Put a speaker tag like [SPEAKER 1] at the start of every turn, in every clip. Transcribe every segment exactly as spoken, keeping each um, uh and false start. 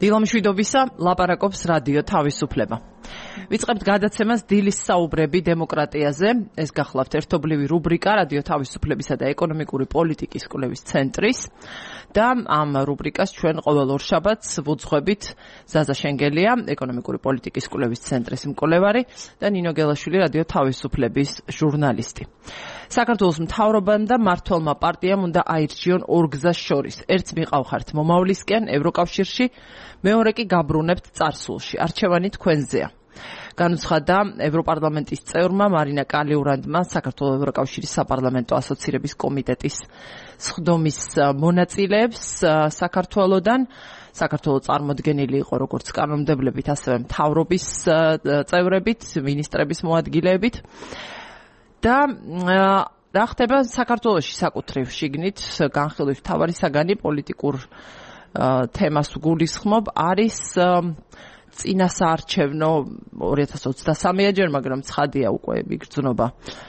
[SPEAKER 1] დილამშვიდობისა, ლაპარაკობს რადიო თავისუფლება. ვიწყებთ გადაცემას დილის საუბრები დემოკრატიაზე. ეს გახლავთ ერთობლივი რუბრიკა რადიო თავისუფლებისა და ეკონომიკური პოლიტიკის კვლევის ცენტრის და ამ რუბრიკას ჩვენ ყოველ ორშაბათს ვუძღვებით ზაზა შენგელია, ეკონომიკური პოლიტიკის კვლევის ცენტრის მკვლევარი და ნინო გელაშვილი, რადიო თავისუფლების ჟურნალისტი. საქართველოს მთავრობამ და მმართველმა პარტიამ უნდა აირჩიონ ორ გზას შორის. ერთს მიყავხართ მომავლისკენ ევროკავშირში, მეორე კი გაბრუნებთ წარსულში. არჩევანი თქვენზეა. განუცხადა ევროპარლამენტის წევრმა მარინა კალიურანდმა საქართველოს ევროკავშირის საპარლამენტო ასოცირების კომიტეტის სხდომის მონაწილეებს საქართველოდან. საქართველოს წარმოდგენილი იყო როგორც კანონმდებლებით, ასევე მთავრობის წევრებით, მინისტრების მოადგილეებით. და რა ხდება საქართველოში საკუთრივ შიგნით განხილვის მთავარი საგანი პოლიტიკურ თემას გულისხმობ არის წინასაარჩევნო ორი ათას ოცდასამეა ჯერ, მაგრამ ცხადია უკვე იგრძნობა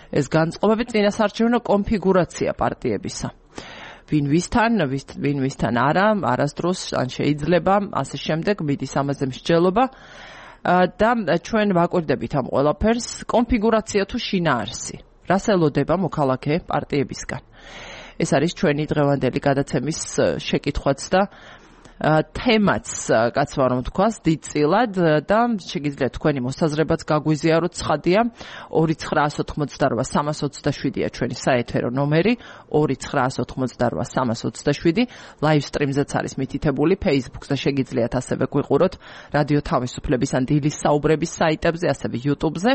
[SPEAKER 1] ეს განწყობები, წინასაარჩევნო კონფიგურაცია პარტიებისა. ვინ ვისთან, ვინ ვისთან არა, არასდროს ან შეიძლება, ასე შემდეგ, მიდის ამაზე მსჯელობა და ჩვენ ვაკვირდებით ამ ყველაფერს, კონფიგურაცია თუ შინაარსი. რას ელოდება მოქალაქე პარტიებისგან? ეს არის ჩვენი დღევანდელი გადაცემის შეკითხვაც და თემაც, კაცმა რომ თქვას, დიდწილად და შეგიძლიათ თქვენი მოსაზრებაც გაგვიზიაროთ. ცხადია, ორი ცხრაას ოთხმოცდარვა სამას ოცდაშვიდია ჩვენი საეთერო ნომერი, ორი ცხრაას ოთხმოცდარვა სამას ოცდაშვიდი, ლაივ სტრიმზეც არის მითითებული Facebook-ზე, შეგიძლიათ ასევე გვიყუროთ რადიო თავისუფლების ან დილის საუბრების საიტებზე, ასევე YouTube-ზე.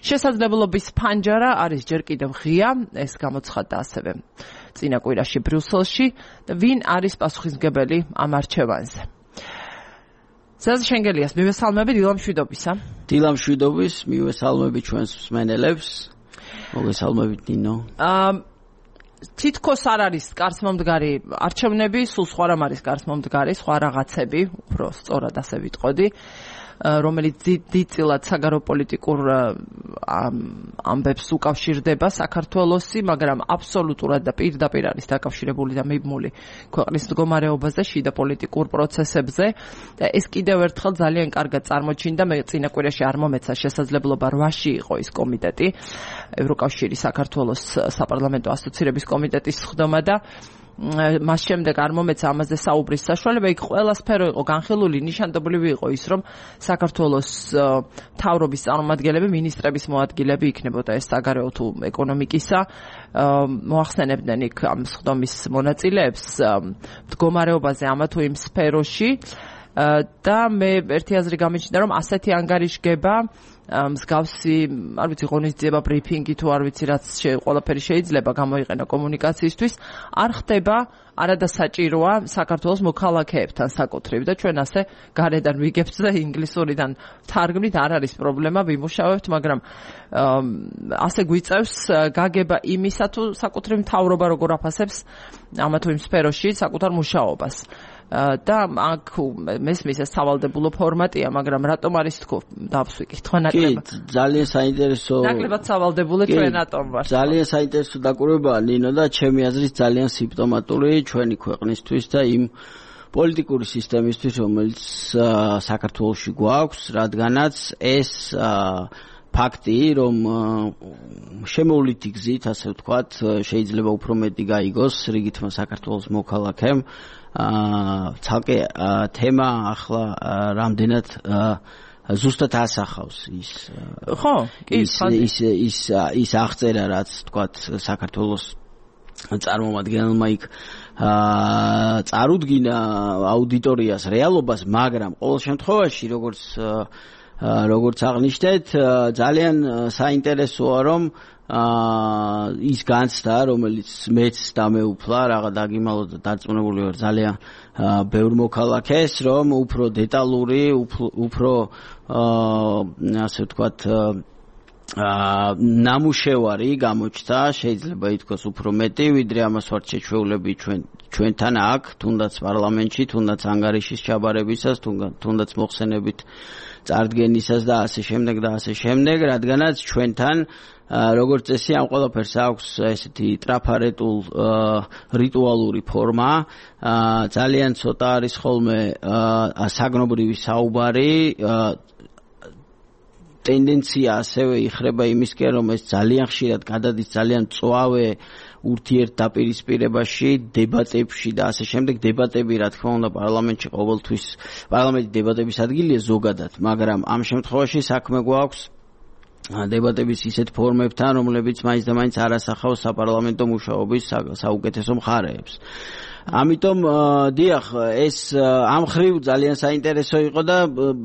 [SPEAKER 1] შესაძლებლობის ფანჯარა არის ჯერ კიდევ ღია, ეს გამოცხადდა ასევე წინა კვირაში ბრიუსელში. ვინ არის პასუხისმგებელი ამ არჩევანზე? ზაზა შენგელიას მივესალმები, დილამშვიდობისა.
[SPEAKER 2] დილამშვიდობის, მივესალმები ჩვენს მსმენელებს. მოგესალმებით ნინო.
[SPEAKER 1] აა თითქოს არ არის კარს მომდგარი არჩევნები, სულ სხვა რამ არის კარს მომდგარი, სხვა რაღაცები, უფრო სწორად ასე ვიტყოდი, რომელიც დიდწილად საგარეოპოლიტიკურ ამბებს უკავშირდება საქართველოსი, მაგრამ აბსოლუტურად და პირდაპირ არის დაკავშირებული და მიბმული ქვეყნის მდგომარეობაზე, შიდა პოლიტიკურ პროცესებზე. ეს კიდევ ერთხელ ძალიან კარგად წარმოჩინდა, მე წინა კვირაში არ მომეცა შესაძლებლობა რვაში იყო ის კომიტეტი, ევროკავშირის საქართველოს საპარლამენტო ასოცირების კომიტეტის სხდომა და მას შემდეგ არ მომეცა ამაზე საუბრის საშუალება. იქ ყველა სფერო იყო განხილული, ნიშანდობლივი იყო ის, რომ საქართველოს მთავრობის წარმომადგენლები, მინისტრების მოადგილეები იქნებოდა ეს საგარეო თუ ეკონომიკისა. მოახსენებდნენ იქ ამ სხდომის მონაწილეებს მდგომარეობაზე ამა თუ იმ სფეროში და მე ერთი აზრი გამიჩნდა, რომ ასეთი ანგარიშგება მსგავსი, არ ვიცი, ღონისძიება, ბრიფინგი თუ არ ვიცი, რაც ყველაფერი შეიძლება გამოიყენა კომუნიკაციისთვის, არ ხდება, არადასაჭიროა საქართველოს მოქალაქეებთან საკუთრივ და ჩვენ ასე გარედან ვიგებთ და ინგლისურიდან თარგმნით, არ არის პრობლემა, ვიმუშავებთ, მაგრამ ასე გვიწევს გაგება იმისა, თუ საკუთრივ მთავრობა როგორ აფასებს ამა თუ იმ სფეროში საკუთარ მუშაობას. და აქ მესმის ეს სავალდებულო ფორმატია, მაგრამ რატომ არის თქო დავსვი კითხვა ნაკლებად?
[SPEAKER 2] კი, ძალიან საინტერესო.
[SPEAKER 1] ნაკლებად სავალდებულო ჩვენ ატომ ვარ.
[SPEAKER 2] ძალიან საინტერესო დაკვირვებაა ნინო და ჩემი აზრით ძალიან სიმპტომატური ჩვენი ქვეყნისთვის და იმ პოლიტიკური სისტემისთვის, რომელიც საქართველოში გვაქვს, რადგანაც ეს ფაქტი, რომ შემოვლითი გზით, ასე ვთქვათ, შეიძლება უფრო მეტი გაიგოს რიგითმა საქართველოს მოქალაქემ. აა ცალკე თემა ახლა რამდენად ზუსტად ასახავს ის
[SPEAKER 1] ხო კი
[SPEAKER 2] ის ის ის აღწერა, რაც თქვათ საქართველოს წარმომადგენელმა იქ აა წარუდგინა აუდიტორიას რეალობას, მაგრამ ყოველ შემთხვევაში როგორც როგორც აღნიშნეთ, ძალიან საინტერესოა, რომ აა ის განცდა, რომელიც მეც დამეუფლა, რაღა დაგიმალო და დარწმუნებული ვარ ძალიან ბევრ მოქალაქეს, რომ უფრო დეტალური, უფრო აა ასე ვთქვათ აა ნამუშევარი გამოჩნდა, შეიძლება ითქვას უფრო მეტი, ვიდრე ამას ვართ შეჩვეულები ჩვენ ჩვენთან აქ, თუნდაც პარლამენტში, თუნდაც ანგარიშის ჩაბარებისას, თუნდაც მოხსენებით წარდგენისას და ასე შემდეგ და ასე შემდეგ, რადგანაც ჩვენთან როგორც წესი ამ ყველაფერს აქვს ესეთი ტრაფარეტულ რიტუალური ფორმა, ძალიან ცოტა არის ხოლმე საგნობრივი საუბარი, ტენდენცია ასევე იხრება იმისკენ, რომ ეს ძალიან ხშირად გადადის ძალიან მწვავე ურთიერთდაპირისპირებაში, დებატებში და ასე შემდეგ. დებატები, რა თქმა უნდა, პარლამენტში ყოველთვის პარლამენტი დებატების ადგილია ზოგადად, მაგრამ ამ შემთხვევაში საქმე გვაქვს დებატების ისეთ ფორმებთან, რომლებიც მაინც და მაინც არ ასახავს საპარლამენტო მუშაობის საუკეთესო მხარეებს. ამიტომ დიახ, ეს ამ ხრივ ძალიან საინტერესო იყო და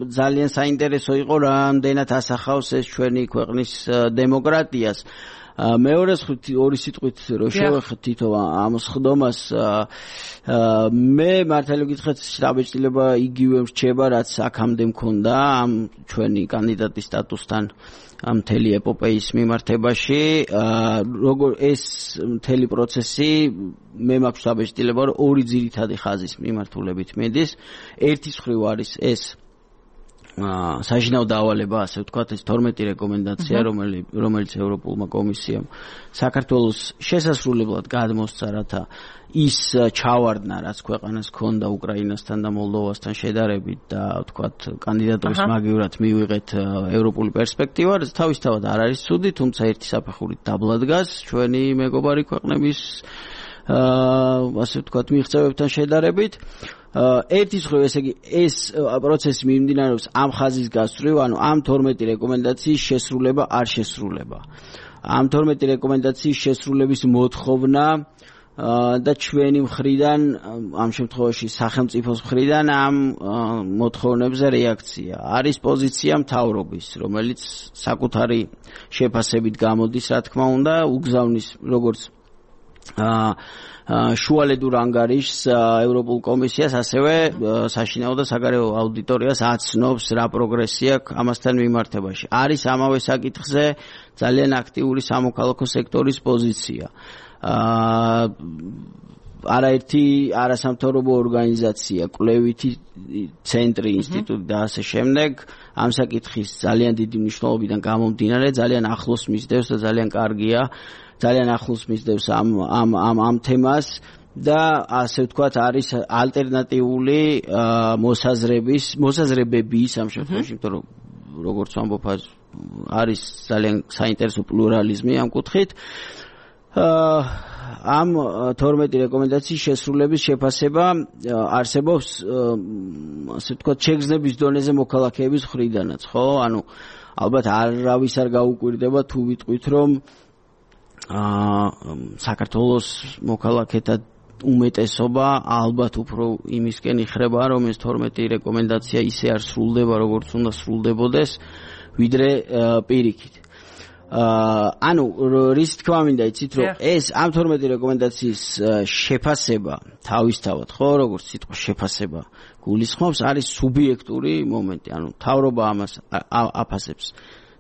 [SPEAKER 2] ძალიან საინტერესო იყო რამდენად ასახავს ეს ჩვენი ქვეყნის დემოკრატიას. მეორე ორი სიტყვით რო შევეხეთ თითო ამ სხდომას, მე მართალი გითხრათ შტაბეჭდილება იგივე რჩება, რაც აქამდე მქონდა ამ ჩვენი კანდიდატის სტატუსთან მთელი ეპოპეის მიმართებაში. როგორ ეს მთელი პროცესი მე მაქვს შტაბეჭდილება, რომ ორი ძირითადი ხაზის მიმართულებით მიდის. ერთის მხრივ არის ეს საშინაო დავალება, ასე ვთქვათ, ეს თორმეტი რეკომენდაცია, რომელიც რომელიც ევროპულმა კომისიამ საქართველოს შესასრულებლად გადმოსცა, რათა ის ჩავარდნა, რაც ქვეყანას ჰქონდა უკრაინასთან და მოლდოვასთან შედარებით და ვთქვათ, კანდიდატურის მაგივრად მივიღეთ ევროპული პერსპექტივა, რაც თავისთავად არ არის ცუდი, თუმცა ერთი საფეხურით დაბლა დგას ჩვენი მეგობარი ქვეყნების ასე ვთქვათ, მიღწევებთან შედარებით. ერთის მხრივ, ესე იგი, ეს პროცესი მიმდინარეობს ამ ხაზის გასწვრივ, ანუ ამ თორმეტი რეკომენდაციის შესრულება არ შესრულება. ამ თორმეტი რეკომენდაციის შესრულების მოთხოვნა და ჩვენი მხრიდან, ამ შემთხვევაში სახელმწიფოს მხრიდან ამ მოთხოვნებზე რეაქცია. არის პოზიცია მთავრობის, რომელიც საკუთარი შეფასებით გამოდის, რა თქმა უნდა, უგზავნის როგორც შუალედურ ანგარიშს ევროპულ კომისიას, ასევე საშინაო და საგარეო აუდიტორიას აცნობს რა პროგრესია ამასთან მიმართებაში. არის ამავე საკითხზე ძალიან აქტიური სამოქალაქო სექტორის პოზიცია. არაერთი არასამთავრობო ორგანიზაცია, კვლევითი ცენტრი, ინსტიტუტი და ასე შემდეგ ამ საკითხის ძალიან დიდი მნიშვნელობიდან გამომდინარე ძალიან ახლოს მისდევს და ძალიან კარგია, ძალიან ახლოს მისდევს ამ ამ ამ ამ თემას და ასე ვთქვათ, არის ალტერნატიული მოსაზრების, მოსაზრებების ამ შემთხვევაში, იმიტომ რომ როგორც ვამბობ, არის ძალიან საინტერესო პლურალიზმი ამ კუთხით. ამ თორმეტი რეკომენდაციის შესრულების შეფასება არსებობს, ასე ვთქვათ, შეგრძნების დონეზე მოქალაქეების მხრიდანაც, ხო? ანუ ალბათ არავის არ გაუკვირდება თუ ვიტყვით, რომ საქართველოს მოქალაქეთა უმეტესობა ალბათ უფრო იმისკენ იხრება, რომ ეს თორმეტი რეკომენდაცია ისე არ სრულდება, როგორც უნდა სრულდებოდეს, ვიდრე პირიქით. ანუ რის თქმა მინდა იცით, რომ ეს ამ თორმეტი რეკომენდაციის შეფასება თავისთავად, ხო, როგორც სიტყვა შეფასება გულისხმობს, არის სუბიექტური მომენტი. ანუ მთავრობა ამას აფასებს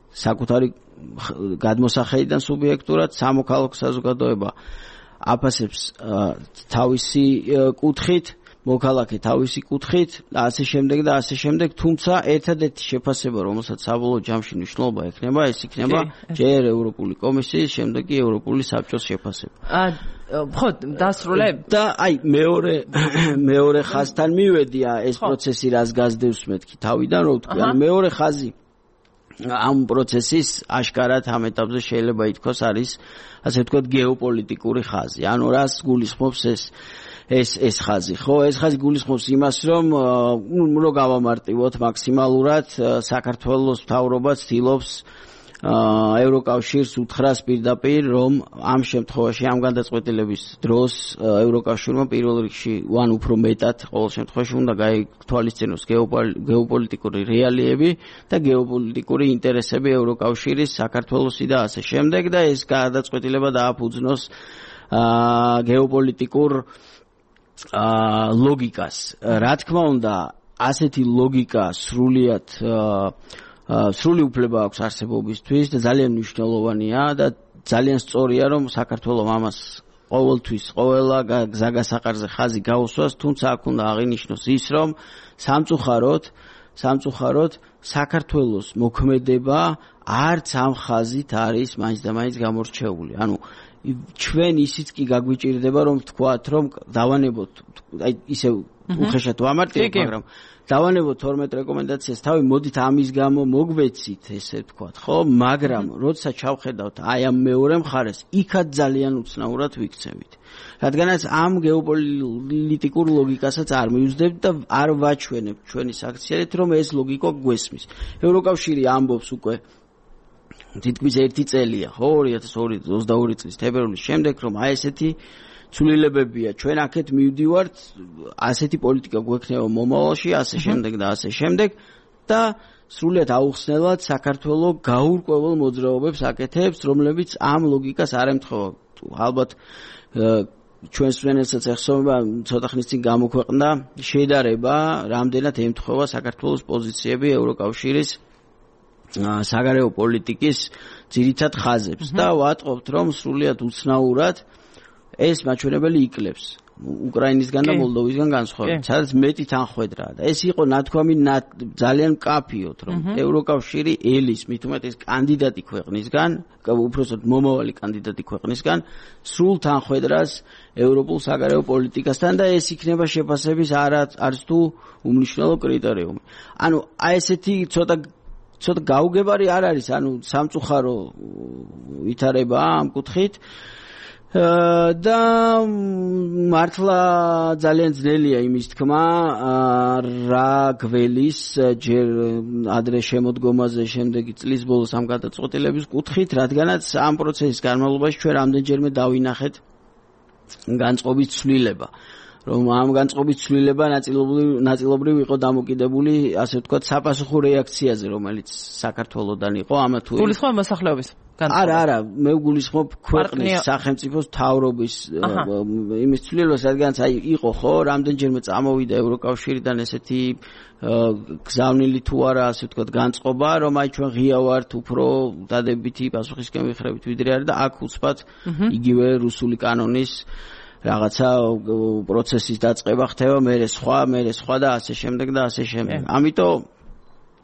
[SPEAKER 2] საკუთარი გადმოსახედიდან სუბიექტურად, სამოქალაქო საზოგადოება აფასებს თავისი კუთხით, მოქალაქე თავისი კუთხით და ასე შემდეგ და ასე შემდეგ, თუმცა ერთადერთი შეფასება, რომელსაც საბოლოო ჯამში მნიშვნელობა ექნება, ეს იქნება ჯერ ევროპული კომისიის, შემდეგ კი ევროპული საბჭოს შეფასება.
[SPEAKER 1] ხო, დასრულებ
[SPEAKER 2] და აი მეორე მეორე ხაზთან მივედი, ეს პროცესი რას გასდევს მეთქი თავიდან, რო ვთქვი, ანუ მეორე ხაზი ამ პროცესის აშკარად ამ ეტაპზე შეიძლება ითქვას არის, ასე ვთქვათ, გეოპოლიტიკური ხაზი. ანუ რას გულისხმობს ეს ეს ეს ხაზი, ხო, ეს ხაზი გულისხმობს იმას, რომ რო გავამარტივოთ მაქსიმალურად, საქართველოს მთავრობა ცდილობს ევროკავშირს უთხრას პირდაპირ, რომ ამ შემთხვევაში ამ გადაწყვეტილების დროს ევროკავშირმა პირველ რიგში ვან უფრო მეტად ყოველ შემთხვევაში უნდა გაითვალისწინოს გეოპოლიტიკური რეალიები და გეოპოლიტიკური ინტერესები ევროკავშირის, საქართველოსი და ასე შემდეგ და ეს გადაწყვეტილება დააფუძნოს გეოპოლიტიკურ ლოგიკას. რა თქმა უნდა, ასეთი ლოგიკა სრულიად სრული უფლება აქვს არსებობისთვის და ძალიან მნიშვნელოვანია და ძალიან სწორია რომ საქართველოს ამას ყოველთვის ყოველა გზაგასაყარზე ხაზი გაუსვას, თუმცა აქ უნდა აღინიშნოს ის რომ სამწუხაროდ სამწუხაროდ საქართველოს მოქმედება არც ამ ხაზით არის მაინც და მაინც გამორჩეული. ანუ ჩვენ ისიც კი გაგვიჭირდება რომ ვთქვათ რომ დავანებოთ აი ისე უხეშად ვამარტივებ, მაგრამ დავანებოთ თორმეტ რეკომენდაციას თავი, მოდით ამის გამო მოგვეცით ესე ვთქვათ, ხო? მაგრამ როცა ჩავხედავთ აი ამ მეორე მხარეს, იქაც ძალიან უცნაურად ვიქცევით. რადგანაც ამ გეოპოლიტიკურ ლოგიკასაც არ მივუძლებთ და არ ვაჩვენებთ ჩვენი საქციელით, რომ ეს ლოგიკა გვესმის. ევროკავშირი ამბობს უკვე თითქმის ერთი წელია, ხო, ორი ათას ოცდაორი წლის თებერვლის შემდეგ, რომ აი ესეთი ცვლილებებია, ჩვენ აქეთ მივდივართ, ასეთი პოლიტიკა გვექნება მომავალში, ასე შემდეგ და ასე შემდეგ და სრულიად აუხსნელად საქართველოს გაურკვეველ მოძრაობებს აკეთებს, რომლებიც ამ ლოგიკას არ ემთხვევა. ალბათ ჩვენს მენესაც ეხსოვება ცოტა ხნის წინ გამოქვეყნდა შედარება, რამდენად ემთხვევა საქართველოს პოზიციები ევროკავშირის საგარეო პოლიტიკის ძირითად ხაზებს და ვატყობთ, რომ სრულიად უცნაურად ეს მაჩვენებელი იკლებს უკრაინისგან და მოლდოვისგან განსხვავებით, სადაც მეტი თანხwebdriverა და ეს იყო ნათქვამი ძალიან მკაფიოდ, რომ ევროკავშირი ელის, მით უმეტეს კანდიდატი ქვეყნისგან, უпроსტოდ მომავალი კანდიდატი ქვეყნისგან, სრულ თანხwebdriverას ევროპულ საგარეო პოლიტიკასთან და ეს იქნება შეფასების არც თუ უმნიშვნელო კრიტერიუმი. ანუ აი ესეთი ცოტა ცოტა გაუგებარი არ არის, ანუ სამწუხარო ვითარება ამ კუთხით. და მართლა ძალიან ძნელია იმის თქმა რა გველის ჯერ ადრე შემოდგომაზე შემდეგი წლის ბოლოს ამ გადაწყვეტილების კუთხით, რადგანაც ამ პროცესის განმავლობაში ჩვენ რამდენჯერმე დავინახეთ განწყობის ცვლილება, რომ ამ განწყობის ცვლილება ნაწილობრივ ნაწილობრივ იყო დამოკიდებული, ასე ვთქვათ, საპასუხო რეაქციაზე, რომელიც საქართველოსდან იყო ამა თუ იმ
[SPEAKER 1] გულისხმობ მოსახლეობის
[SPEAKER 2] არა, არა, მე ვგულისხმობ ქვეყნის სახელმწიფოს მთავრობის იმის ცვლილებას, რადგანაც აი იყო ხო, რამდენჯერმე წამოვიდა ევროკავშირიდან ესეთი გზავნილი თუ არა, ასე ვთქვათ, განწყობა, რომ აი ჩვენ ღია ვართ უფრო დადებითი პასუხისკენ ვიხრებით ვიდრე არის და აქ უცბად იგივე რუსული კანონის რაღაცა პროცესის დაწყება ხდება, მერე სხვა, მერე სხვა და ასე შემდეგ და ასე შემდეგ. ამიტომ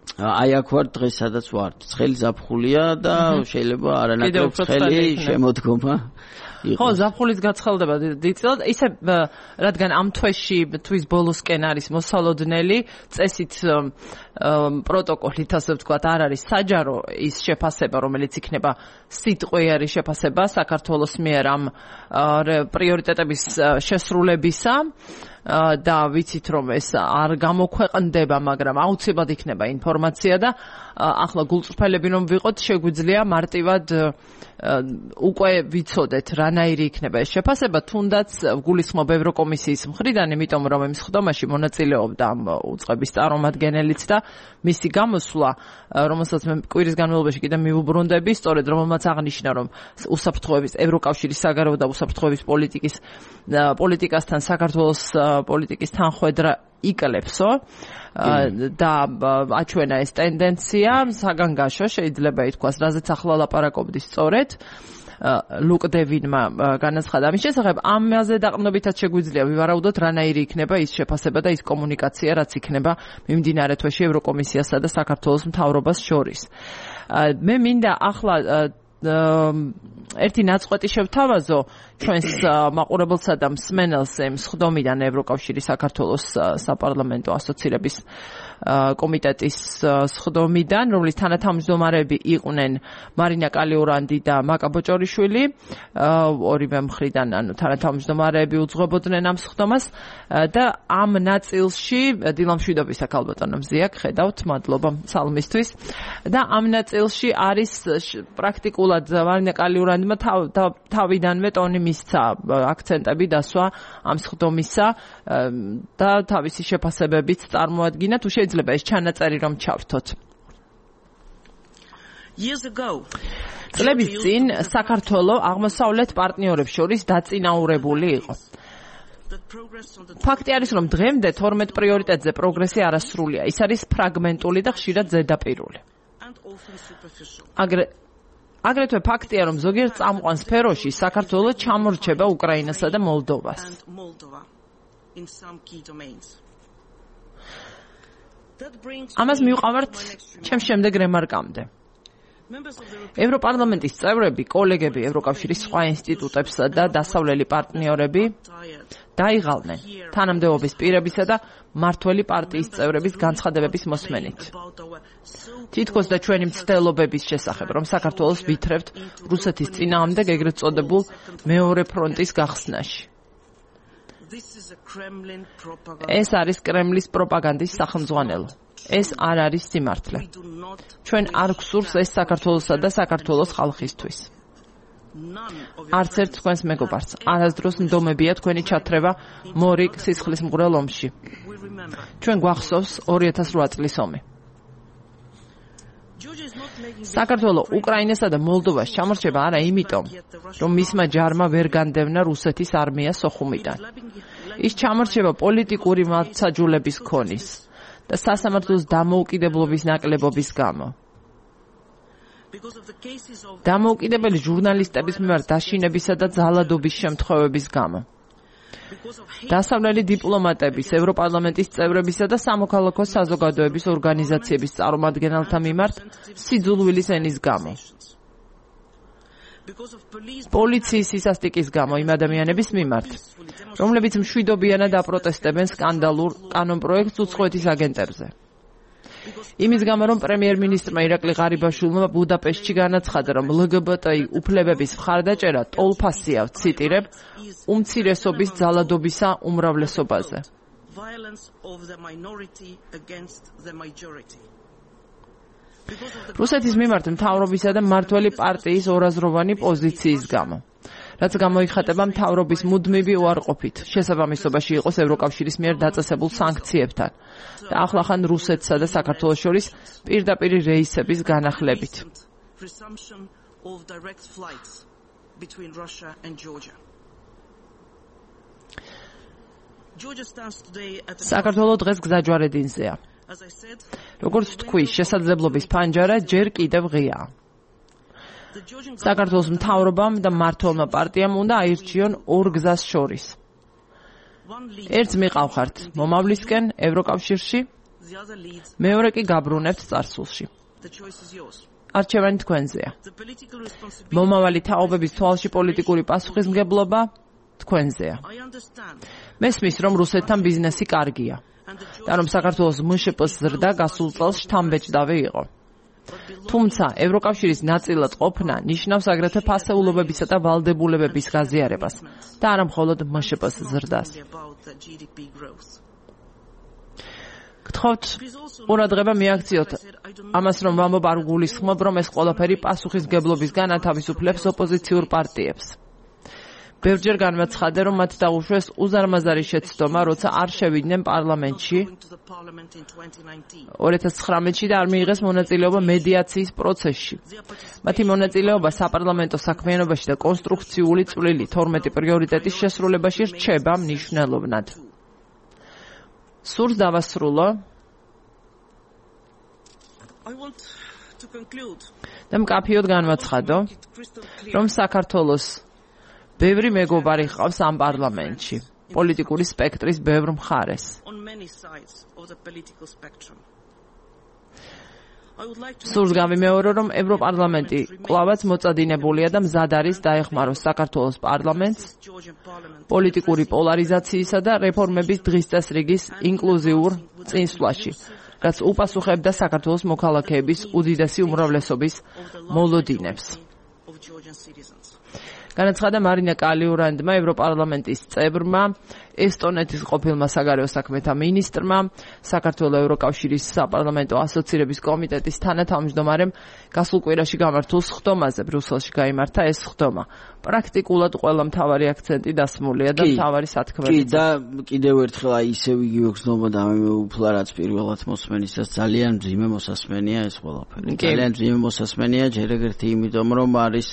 [SPEAKER 2] აი აქ ვარ დღეს სადაც ვარ. ცხელი ზაფხულია და შეიძლება არანაკლებ ცხელი შემოდგომა იყოს.
[SPEAKER 1] ხო, ზაფხულის გაცხელდება დიდწილად. ისე რადგან ამ თვეში თვის ბოლოსკენ არის მოსალოდნელი, წესით პროტოკოლით, ასე ვთქვათ, არ არის საჯარო ის შეფასება, რომელიც იქნება სიტყვიერი შეფასება საქართველოს მიერ ამ პრიორიტეტების შესრულებისა. და ვიცით რომ ეს არ გამოქვეყნდება, მაგრამ აუცილებლად იქნება ინფორმაცია და ახლა გულწრფელები რომ ვიყოთ, შეგვიძლია მარტივად უკვე ვიცოდეთ რანაირი იქნება ეს შეფასება, თუნდაც გულისხმობ ევროკომისიის მხრიდან, იმიტომ რომ იმ სხდომაში მონაწილეობდა ამ უწყების წარმომადგენელიც და მისი გამოსვლა, რომელსაც მე კვირის განმავლობაში კიდე მივუბრუნდები, სწორედ რომელმაც აღნიშნა, რომ უსაფრთხოების ევროკავშირის საგარეო და უსაფრთხოების პოლიტიკის პოლიტიკასთან საქართველოს პოლიტიკის თანხwebdriver იკლებსო და აჩვენა ეს ტენდენცია საგანგაშო, შეიძლება ითქვას, რაზეც ახლა ლაპარაკობდი სწორედ ლუკ დევინმა განაცხადა ამის შესახებ. ამაზე დაყრდნობითაც შეგვიძლია ვივარაუდოთ, რანაირი იქნება ის შეფასება და ის კომუნიკაცია, რაც იქნება მიმდინარე თვეში ევროკომისიასა და საქართველოს მთავრობას შორის. მე მინდა ახლა ერთი ნაწყვეტი შევთავაზო ჩვენს მაყურებელსა და მსმენელს იმ სხდომიდან ევროკავშირის საქართველოს საპარლამენტო ასოცირების კომიტეტის სხდომიდან, რომლის თანათავმჯდომარეები იყვნენ მარინა კალიურანდი და მაკა ბოჭორიშვილი, ორივე მხრიდან ანუ თანათავმჯდომარეები უძღვებოდნენ ამ სხდომას და ამ ნაწილში დილა მშვიდობისა ქალბატონო მზიაკ, ხედავთ, მადლობა სალმისთვის და ამ ნაწილში არის პრაქტიკულად მარინა კალიურანდმა თავიდანვე ტონი მისცა აქცენტები დასვა ამ სხდომისა და თავისი შეფასებებიც წარმოადგინა. თუ შეიძლება ეს ჩანაწერი რომ ჩავრთოთ. წლების წინ საქართველო აღმოსავლეთ პარტნიორებს შორის დაწინაურებული იყო. ფაქტი არის, რომ დღემდე თორმეტ პრიორიტეტზე პროგრესი არასრულია. ის არის ფრაგმენტული და ხშირად ზედაპირული. აგრე აგრეთვე ფაქტია, რომ ზოგიერთ წამყვან სფეროში საქართველოს ჩამორჩება უკრაინასა და მოლდოვას. ამას მივყავართ ჩემს შემდეგ რემარკამდე. ევროპარლამენტის წევრები, კოლეგები ევროკავშირის სხვა ინსტიტუტებსა და დასავლელი პარტნიორები დაიღალნენ თანამდებობის პირებისა და მმართველი პარტიის წევრების განცხადებების მოსმენით. თითქოს და ჩვენი მცდელობების შესახებ, რომ საქართველოს ვითრევთ რუსეთის წინააღმდეგ ეგრეთ წოდებულ მეორე ფრონტის გახსნაში. ეს არის კრემლის პროპაგანდის სახელმძღვანელო. ეს არ არის სიმართლე. ჩვენ არ გვსურს ეს საქართველოსა და საქართველოს ხალხისთვის. არც ერთ თქვენს მეგობარს არასდროს ნდომებია თქვენი ჩათრევა მორიგ სისხლისმღვრელ ომში. ჩვენ გვახსოვს ორი ათას რვა წლის ომი. საქართველოს უკრაინასა და მოლდოვას ჩამორჩება არა იმიტომ, რომ მისმა ჯარმა ვერ განდევნა რუსეთის არმია სოხუმიდან. ის ჩამორჩება პოლიტიკური მართსაჯულების ქონის და სასამართლოს დამოუკიდებლობის ნაკლებობის გამო. დამოუკიდებელი ჟურნალისტების მიმართ დაშინებისა და ძალადობის შემთხვევების გამო. დასავლელი დიპლომატების, ევროპარლამენტის წევრებისა და სამოქალაქო საზოგადოების ორგანიზაციების წარმომადგენელთა მიმართ სიძულვილის ენის გამო. პოლიციის სისასტიკის გამო იმ ადამიანების მიმართ, რომლებიც მშვიდობიანად აპროტესტებენ სკანდალურ კანონპროექტს უცხოეთის აგენტებზე. იმის გამო, რომ პრემიერ-მინისტრმა ირაკლი ღარიბაშვილმა ბუდაპეშტში განაცხადა, რომ ლგბტი უფლებების მხარდაჭერა ტოლფასია, ვციტირებ, უმცირესობის ძალადობისა უმრავლესობაზე. რუსეთის მიმართ მთავრობისა და მმართველი პარტიის ორაზროვანი პოზიციის გამო, რაც გამოიხატება მთავრობის მუდმივი უარყოფით, შესაბამისობაში იყოს ევროკავშირის მიერ დაწესებულ სანქციებთან და ახლახან რუსეთსა და საქართველოს შორის პირდაპირი რეისების განახლებით. საქართველოს დღეს გზაჯვარედინზეა. როგორც თქვი, შესაძლებლობის ფანჯარა ჯერ კიდევ ღიაა. საქართველოს მთავრობამ და მმართველმა პარტიამ უნდა აირჩიონ ორ გზას შორის. ერთს მიყავხართ მომავლისკენ ევროკავშირში, მეორე კი გაბრუნებთ წარსულში. არჩევანი თქვენზეა. მომავალი თაობების თვალში პოლიტიკური პასუხისმგებლობა თქვენზეა. მესმის, რომ რუსეთთან ბიზნესი კარგია და რომ საქართველოს მშპ-ს ზრდა გასულ წელს შთამბეჭდავი იყო. თუმცა ევროკავშირის ნაწილად ყოფნა ნიშნავს აგრეთვე ფასეულობებისა და ვალდებულებების გაზიარებას და არა მხოლოდ მშპ-ს ზრდას. გთხოვთ ყურადღება მიაქციოთ ამას, რომ ვამბობ არ გულისხმობ, რომ ეს ყველაფერი პასუხისმგებლობისგან ათავისუფლებს ოპოზიციურ პარტიებს. ბევრჯერ განმაცხადე, რომ მათ დაუშვეს უზარმაზარი შეცდომა, როცა არ შევიდნენ პარლამენტში ორი ათას ცხრამეტში და არ მიიღეს მონაწილეობა მედიაციის პროცესში. მათი მონაწილეობა საპარლამენტო საქმიანობაში და კონსტრუქციული წვლილი თორმეტი პრიორიტეტის შესრულებაში რჩება მნიშვნელოვნად. სურს დავასრულო და მკაფიოდ განვაცხადო, რომ საქართველოს ბევრი მეგობარი ჰყავს ამ პარლამენტში, პოლიტიკური სპექტრის ბევრ მხარეს. სურს გავიმეორო, რომ ევროპარლამენტი კვლავაც მოწადინებულია და მზად არის დაეხმაროს საქართველოს პარლამენტს პოლიტიკური პოლარიზაციისა და რეფორმების დღის წესრიგის ინკლუზიურ წინსვლაში, რაც უპასუხებდა საქართველოს მოქალაქეების უდიდესი უმრავლესობის მოლოდინებს. განაცხადა მარინა კალიურანდმა, ევროპარლამენტის წევრმა, ესტონეთის ყოფილმა საგარეო საქმეთა მინისტრმა, საქართველოს ევროკავშირის საპარლამენტო ასოცირების კომიტეტის თანათავმჯდომარემ გასულ კვირაში გამართულ სხდომაზე ბრიუსელში გაიმართა ეს სხდომა. პრაქტიკულად ყველა მთავარი აქცენტი დასმულია და მთავარი სათქმელი.
[SPEAKER 2] კი და კიდევ ერთხელ აი ისევ იგივე გზნობა და მე უფლა რაც პირველად მოსმენისას ძალიან მძიმე მოსასმენია ეს ყველაფერი. ძალიან მძიმე მოსასმენია ჯერ ეგრეთი იმიტომ რომ არის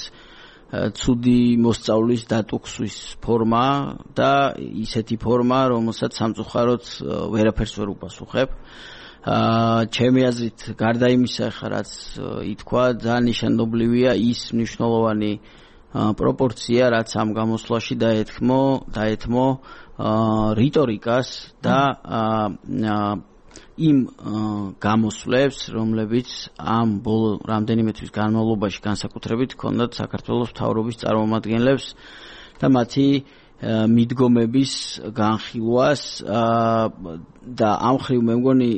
[SPEAKER 2] ცუდი მოსწავლის დატუქსვის ფორმა და ისეთი ფორმა, რომელსაც სამწუხაროდ ვერაფერს ვერ უპასუხებ. აა ჩემი აზრით გარდა იმისა, ხა რაც ითქვა, ძალიან ნიშნულოვანია ის მნიშვნელოვანი პროპორცია, რაც ამ გამოსვლაში დაეთმო, დაეთმო რიტორიკას და იმ გამოსვლებს, რომლებიც ამ ბოლო რამდენიმე თვის განმავლობაში განსაკუთრებით ჰქონდათ საქართველოს მთავრობის წარმომადგენლებს და მათი მიდგომების განხილვას და ამ ხრივ მე მგონი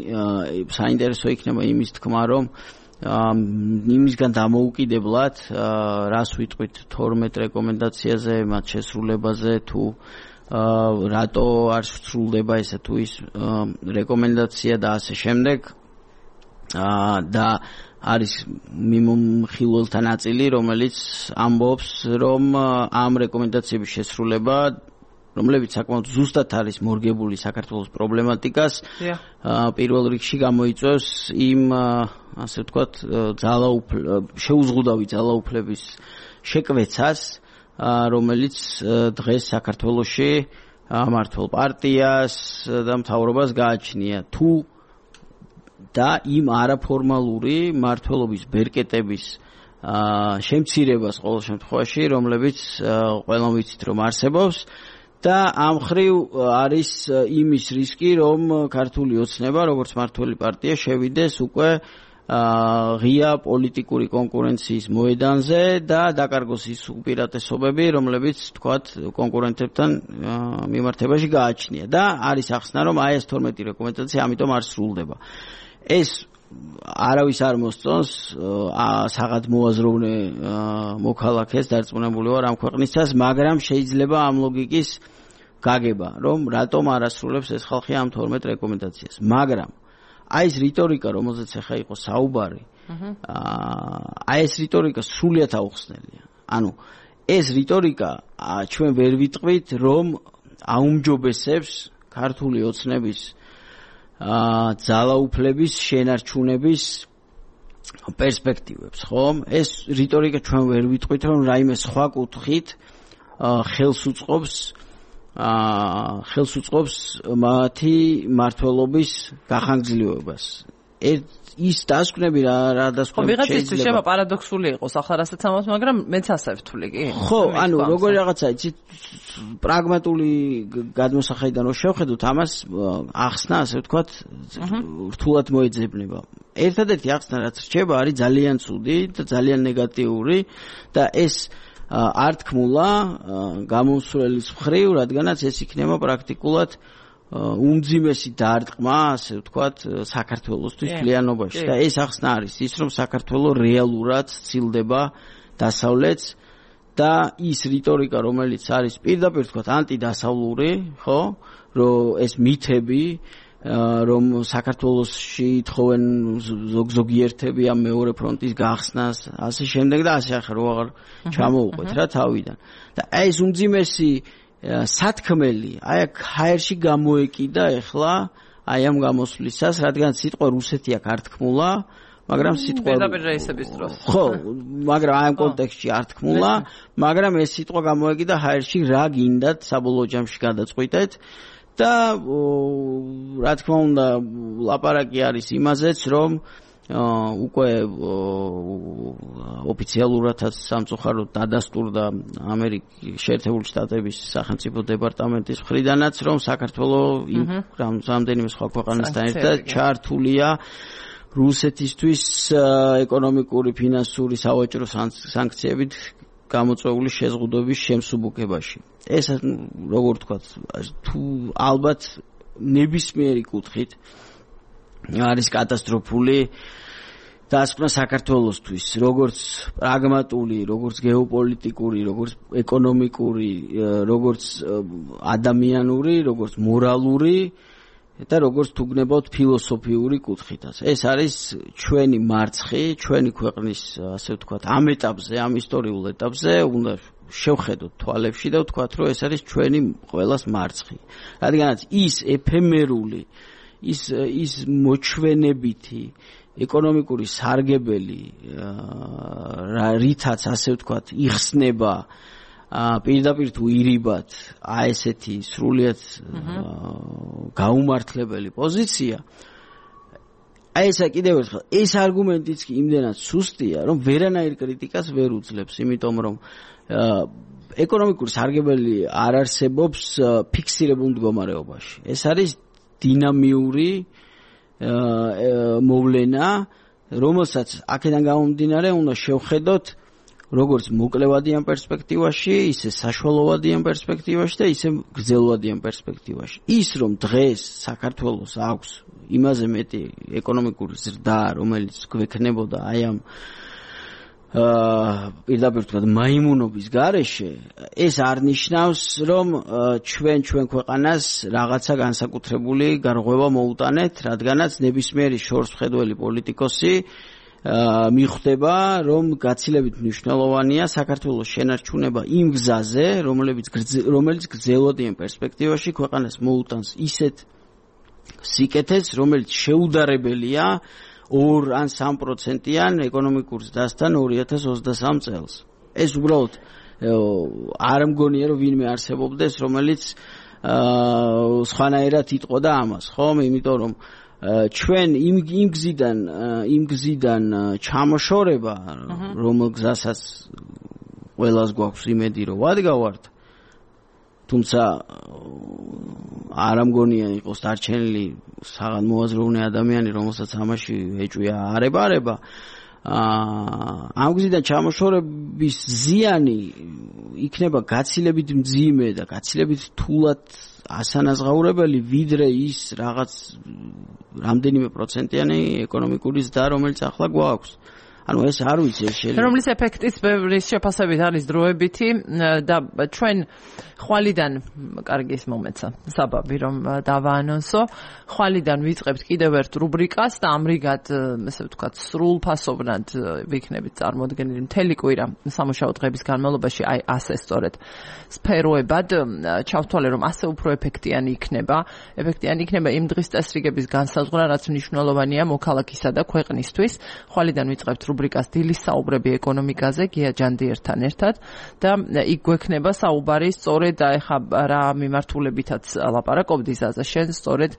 [SPEAKER 2] საინტერესო იქნება იმის თქმა, რომ იმისგან დამოუკიდებლად რას ვიტყვით თორმეტ რეკომენდაციაზე, მათ შესრულებაზე თუ რატო არ სრულდება ესა თუ ის რეკომენდაცია და ასე შემდეგ და არის მიმოხილველთა ნაწილი, რომელიც ამბობს, რომ ამ რეკომენდაციების შესრულება, რომლებიც საკმაოდ ზუსტად არის მორგებული საქართველოს პრობლემატიკას, პირველ რიგში გამოიწვევს იმ ასე ვთქვათ შეუზღუდავი ძალაუფლების შეკვეცას, რომელიც დღეს საქართველოში მმართველ პარტიას და მთავრობას გააჩნია თუ და იმ არაფორმალური მმართველობის ბერკეტების შემცირებას ყოველ შემთხვევაში, რომლებიც ყველამ ვიცით რომ არსებობს და ამ ხრივ არის იმის რისკი, რომ ქართული ოცნება, როგორც მმართველი პარტია, შევიდეს უკვე ღია პოლიტიკური კონკურენციის მოედანზე და დაკარგოს ის უპირატესობები, რომლებიც თქვათ კონკურენტებთან მიმართებაში გააჩნია და არის ახსნა, რომ აი ეს თორმეტი რეკომენდაცია ამიტომ არ სრულდება. ეს არავის არ მოსწონს საღად მოაზროვნე მოქალაქეს დარწმუნებული ვარ ამ ქვეყნისას, მაგრამ შეიძლება ამ ლოგიკის გაგება, რომ რატომ არ ასრულებს ეს ხალხი ამ თორმეტ რეკომენდაციას. მაგრამ აი ეს რიტორიკა, რომელზეც ახლა იყო საუბარი, აი ეს რიტორიკა სრულიად აუხსნელია. ანუ ეს რიტორიკა ჩვენ ვერ ვიტყვით, რომ აუმჯობესებს ქართული ოცნების ძალაუფლების შენარჩუნების პერსპექტივებს, ხომ? ეს რიტორიკა ჩვენ ვერ ვიტყვით, რომ რაიმე სხვა კუთხით ხელს უწყობს ხელს უწყობს მათი მმართველობის გახანგრძლივებას. ის დასკვნები რა რა დასკვნები
[SPEAKER 1] შეიძლება. ხო, ვიღაცისთვის შევა პარადოქსული იყოს, ახლა რასაც ამბობთ, მაგრამ მეც ასე ვთვლი, კი?
[SPEAKER 2] ხო, ანუ როგორი რაღაცა, იცით, პრაგმატული გადმოსახედიდან რო შევხედოთ, ამას ახსნა, ასე ვთქვათ, რთულად მოეძებნება. ერთადერთი ახსნა, რაც რჩება, არის ძალიან ცუდი და ძალიან ნეგატიური და ეს არ თქმულა გამომსვლელის მხრივ, რადგანაც ეს იქნება პრაქტიკულად უმძიმესი დარტყმა, ასე ვთქვათ, საქართველოსთვის მთლიანობაში და ეს ახსნა არის ის, რომ საქართველო რეალურად ცილდება დასავლეთს და ის რიტორიკა, რომელიც არის პირდაპირ ვთქვათ ანტიდასავლური, ხო, რომ ეს მითები, რომ საქართველოსში ითხოვენ ზოგზოგიერთები ამ მეორე ფრონტის გახსნას, ასე შემდეგ და ასე ახლა რო აღარ ჩამოუყვეთ რა თავიდან. და აი ეს უმძიმესი სათქმელი, აი აქ ჰაერში გამოეკიდა ეხლა, აი ამ გამოსვლისას, რადგან სიტყვა რუსეთი აქ არ თქმულა, მაგრამ სიტყვა
[SPEAKER 1] პირდაპირ რეისების დროს.
[SPEAKER 2] ხო, მაგრამ აი ამ კონტექსტში არ თქმულა, მაგრამ ეს სიტყვა გამოეკიდა ჰაერში, რა გინდათ საბოლოო ჯამში გადაწყვიტეთ და რა თქმა უნდა, ლაპარაკი არის იმაზეც, რომ უკვე ოფიციალურადაც სამწუხაროდ დადასტურდა ამერიკის შეერთებული შტატების სახელმწიფო დეპარტამენტის მხრიდანაც, რომ საქართველო რამდენიმე სხვა ქვეყანასთან ერთად ჩართულია რუსეთისთვის ეკონომიკური, ფინანსური, სავაჭრო სანქციებით გამოწვეული შეზღუდვების შემსუბუქებაში. ეს როგორ ვთქვათ, თუ ალბათ ნებისმიერი კუთხით არის კატასტროფული დასკვნა საქართველოსთვის, როგორც პრაგმატული, როგორც გეოპოლიტიკური, როგორც ეკონომიკური, როგორც ადამიანური, როგორც მორალური და როგორც თუ გნებავთ ფილოსოფიური კუთხითაც. ეს არის ჩვენი მარცხი, ჩვენი ქვეყნის, ასე ვთქვათ, ამ ეტაპზე, ამ ისტორიულ ეტაპზე უნდა შევხედოთ თვალებში და ვთქვათ, რომ ეს არის ჩვენი ყველას მარცხი. რადგანაც ის ეფემერული, ის ის მოჩვენებითი ეკონომიკური სარგებელი, რითაც ასე ვთქვათ, იხსნება პირდაპირ თუ ირიბად აი ესეთი სრულიად გაუმართლებელი პოზიცია, აი ესა კიდევ ერთხელ ეს არგუმენტიც კი იმდენად სუსტია, რომ ვერანაირ კრიტიკას ვერ უძლებს, იმიტომ რომ ეკონომიკური სარგებელი არ არსებობს ფიქსირებულ მდგომარეობაში. ეს არის დინამიური მოვლენა, რომელსაც აქედან გამომდინარე უნდა შევხედოთ როგორც მოკლევადიან პერსპექტივაში, ისე საშუალოვადიან პერსპექტივაში და ისე გრძელვადიან პერსპექტივაში. ის რომ დღეს საქართველოს აქვს იმაზე მეტი ეკონომიკური ზრდა, რომელიც გვექნებოდა აი ამ პირდაპირ თქვა მაიმუნობის გარეშე, ეს არ ნიშნავს, რომ ჩვენ ჩვენ ქვეყანას რაღაცა განსაკუთრებული გარღვევა მოუტანეთ, რადგანაც ნებისმიერი შორსმხედველი პოლიტიკოსი მიხვდება, რომ გაცილებით მნიშვნელოვანია საქართველოს შენარჩუნება იმ გზაზე, რომელიც რომელიც გრძელვადიან პერსპექტივაში ქვეყანას მოუტანს ისეთ სიკეთეს, რომელიც შეუდარებელია ორ ან სამ პროცენტიან ეკონომიკურ ზრდასთან ორი ათას ოცდასამ წელს. ეს უბრალოდ არ მგონია, რომ ვინმე არსებობდეს, რომელიც სხვანაირად იტყოდა ამას, ხომ? იმიტომ რომ ჩვენ იმ იმ გზიდან იმ გზიდან ჩამოშორება, რომელ გზასაც ყველას გვაქვს იმედი, რომ ვადგავართ, თუმცა არ ამგონია იყოს დარჩენილი საღან მოაზროვნე ადამიანი, რომელსაც ამაში ეჭვია არება-არება. ამ გზიდან ჩამოშორების ზიანი იქნება გაცილებით მძიმე და გაცილებით თულად ასანაზღაურებელი, ვიდრე ის რაღაც რამდენიმე პროცენტიანი ეკონომიკური ზრდა, რომელიც ახლა გვაქვს. ანუ ეს არ ვიცი, ეს შეიძლება.
[SPEAKER 1] რომლის ეფექტის ბევრის შეფასებით არის დროებითი და ჩვენ ხვალიდან, კარგი ის მომეცა, საბაბი რომ დავაანონსო, ხვალიდან ვიწყებთ კიდევ ერთ რუბრიკას და ამრიგად, ესე ვთქვათ, სრულფასოვნად ვიქნებით წარმოდგენილი მთელი კვირა სამუშაო დღების განმავლობაში, აი ასე სწორედ სფეროებად ჩავთვალე, რომ ასე უფრო ეფექტიანი იქნება, ეფექტიანი იქნება იმ დღის წესრიგების განსაზღვრა, რაც მნიშვნელოვანია მოქალაქისა და ქვეყნისთვის. ხვალიდან ვიწყებთ რუბრიკას დილის საუბრები ეკონომიკაზე გია ჯანდიერთან ერთად და იქ გვექნება საუბარი სწორედ და ეხა რა მიმართულებითაც ლაპარაკობდი ზაზა შენ სწორედ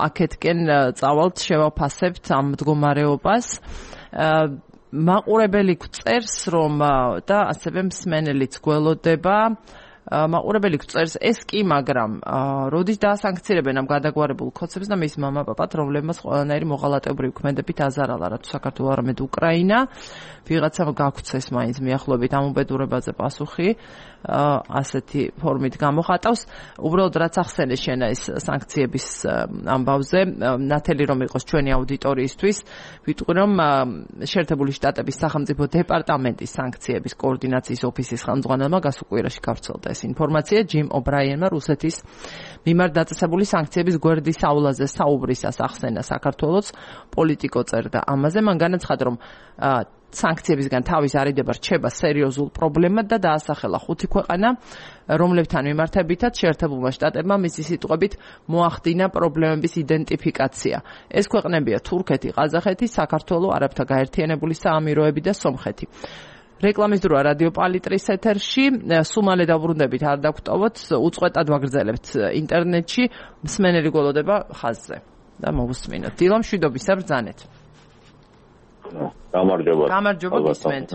[SPEAKER 1] აქეთკენ წავალთ შევაფასებთ ამ მდგომარეობას მაყურებელი გწერს რომ და ასევე მსმენელიც გველოდება მაყურებელი გწერს ეს კი მაგრამ როდის დაასანქცირებენ ამ გადაგვარებულ ქოცებს და მის მამა პაპად რომლებმაც ყველანაირი მოღალატებრივი ქმედებით აზარალა რაც საქართველო არამედ უკრაინა ვიღაცამ გაგვცეს მაინც მიახლოებით ამ უბედურებაზე პასუხი ასეთი ფორმით გამოხატავს უბრალოდ რაც ახსენე შენ ეს სანქციების ამბავზე ნათელი რომ იყოს ჩვენი აუდიტორიისთვის ვიტყვი რომ შეერთებული შტატების სახელმწიფო დეპარტამენტის სანქციების კოორდინაციის ოფისის ხელმძღვანელმა გასუკვირაში გავრცელდა ეს ინფორმაცია ჯიმ ობრაიენმა რუსეთის მიმართ დაწესებული სანქციების გვერდის აულაზე საუბრისას ახსენა საქართველოს პოლიტიკო წერდა ამაზე მან განაცხადა რომ სანქციებისგან თავის არიდება რჩება სერიოზულ პრობლემად და დაასახელა ხუთი ქვეყანა რომლებთან მიმართებითაც შეერთებულმა შტატებმა მისი სიტყვებით მოახდინა პრობლემების იდენტიფიკაცია ეს ქვეყნებია თურქეთი, ყაზახეთი, საქართველო, არაბთა გაერთიანებული საამიროები და სომხეთი რეკლამის დროა რადიო პალიტრის ეთერში სუმალე დაბრუნდებით არ დაგვტოვოთ უწყვეტად ვაგრძელებთ ინტერნეტში მსმენელი გველოდება ხაზზე და მოვუსმინოთ დილა მშვიდობისა ბრძანეთ
[SPEAKER 3] გამარჯობა
[SPEAKER 1] გამარჯობა გისმენთ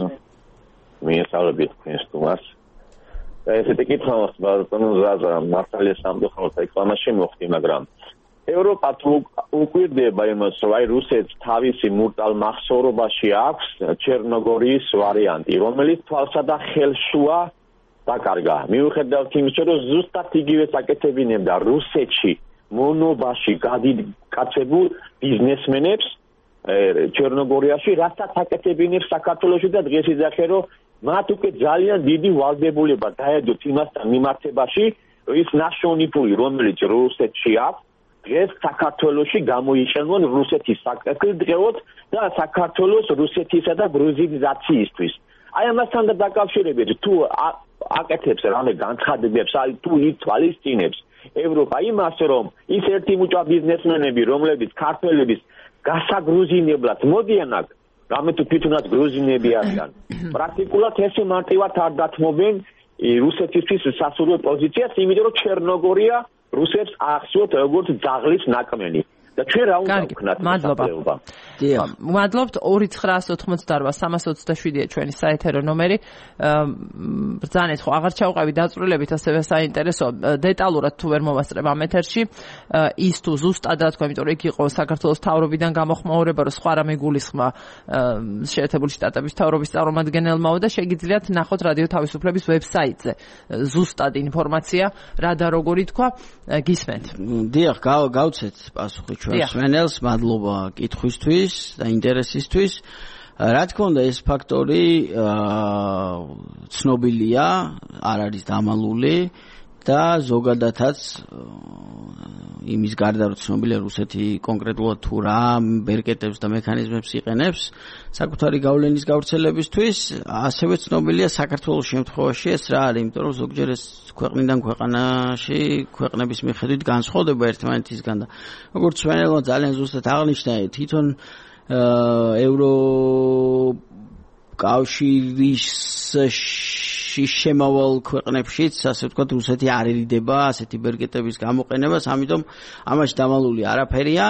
[SPEAKER 3] მიესალმებით თქვენს თუმას და ესეთი კითხვა მაქვს ბატონო ზაზა მართალია სამწუხაროდ რეკლამაში მოხდი მაგრამ ევროპა თუ უკვირდება იმას რომ აი რუსეთს თავისი მურტალ მახსოვრობაში აქვს ჩერნოგორიის ვარიანტი რომელიც თვალსა და ხელშუა დაკარგა მიუხედავად იმისა რომ ზუსტად იგივე საკეთებინებდა რუსეთში მონობაში გადიდკაცებულ ბიზნესმენებს ჩერნოგორიაში რასაც აკეთებინებს საქართველოში და დღეს იძახე რომ მათ უკვე ძალიან დიდი ვალდებულება დაედოთ იმასთან მიმართებაში ის ნაშოვნი ფული რომელიც რუსეთში აქვს დღეს საქართველოში გამოიყენონ რუსეთის საკრებულოდ და საქართველოს რუსეთისა და გრუზინიზაციისთვის აი ამასთან დაკავშირებით თუ აკეთებს რამე განცხადებებს აი თუ ითვალისწინებს ევროპა იმას რომ ის ერთი მუჭა ბიზნესმენები რომლებიც ქართველების გასაგრუზინებლად მოდიან აქ რამე თუ თვითონაც გრუზინები არიან პრაქტიკულად ესე მარტივად არ დათმობენ რუსეთისთვის სასურველ პოზიციას იმიტომ რომ ჩერნოგორია რუსებს ახსოვთ როგორც ძაღლის ნაკმენი და ჩვენ რა უნდა ვქნათ
[SPEAKER 1] მადლობა. მადლობთ ორი ცხრაას ოთხმოცდაოთხ სამას ოცდაშვიდია ჩვენი საეთერო ნომერი. ბრძანეთ ხო აღარ ჩავყევი დაწვრილებით ასევე საინტერესო დეტალურად თუ ვერ მოვასწრებ ამ ეთერში ის თუ ზუსტად რა თქვა, იმიტომ რომ იქ იყო საქართველოს მთავრობიდან გამოხმაურება, რომ სხვა რამე გულისხმა შეერთებული შტატების მთავრობის წარმომადგენელმაო და შეგიძლიათ ნახოთ რადიო თავისუფლების ვებსაიტზე ზუსტად ინფორმაცია რა და როგორი თქვა, გისმენთ.
[SPEAKER 2] დიახ, გავცეთ პასუხი ჩვენ მსმენელს, მადლობა კითხვისთვის და ინტერესისთვის. რა თქმა უნდა, ეს ფაქტორი ცნობილია, არ არის დამალული და ზოგადადაც იმის გარდა რომ ცნობილია რუსეთი კონკრეტულად თუ რა ბერკეტებს და მექანიზმებს იყენებს საკუთარი გავლენის გავრცელებისთვის, ასევე ცნობილია საქართველოს შემთხვევაში ეს რა არის, იმიტომ რომ ზოგჯერ ეს ქვეყნიდან ქვეყანაში ქვეყნების მიხედვით განსხვავდება ერთმანეთისგან და როგორც ჩვენელმა ძალიან ზუსტად აღნიშნა, თვითონ ევროკავშირის შემავალ ქვეყნებშიც, ასე ვთქვათ, რუსეთი არ ერიდება ასეთი ბერკეტების გამოყენებას, ამიტომ ამაში დამალული არაფერია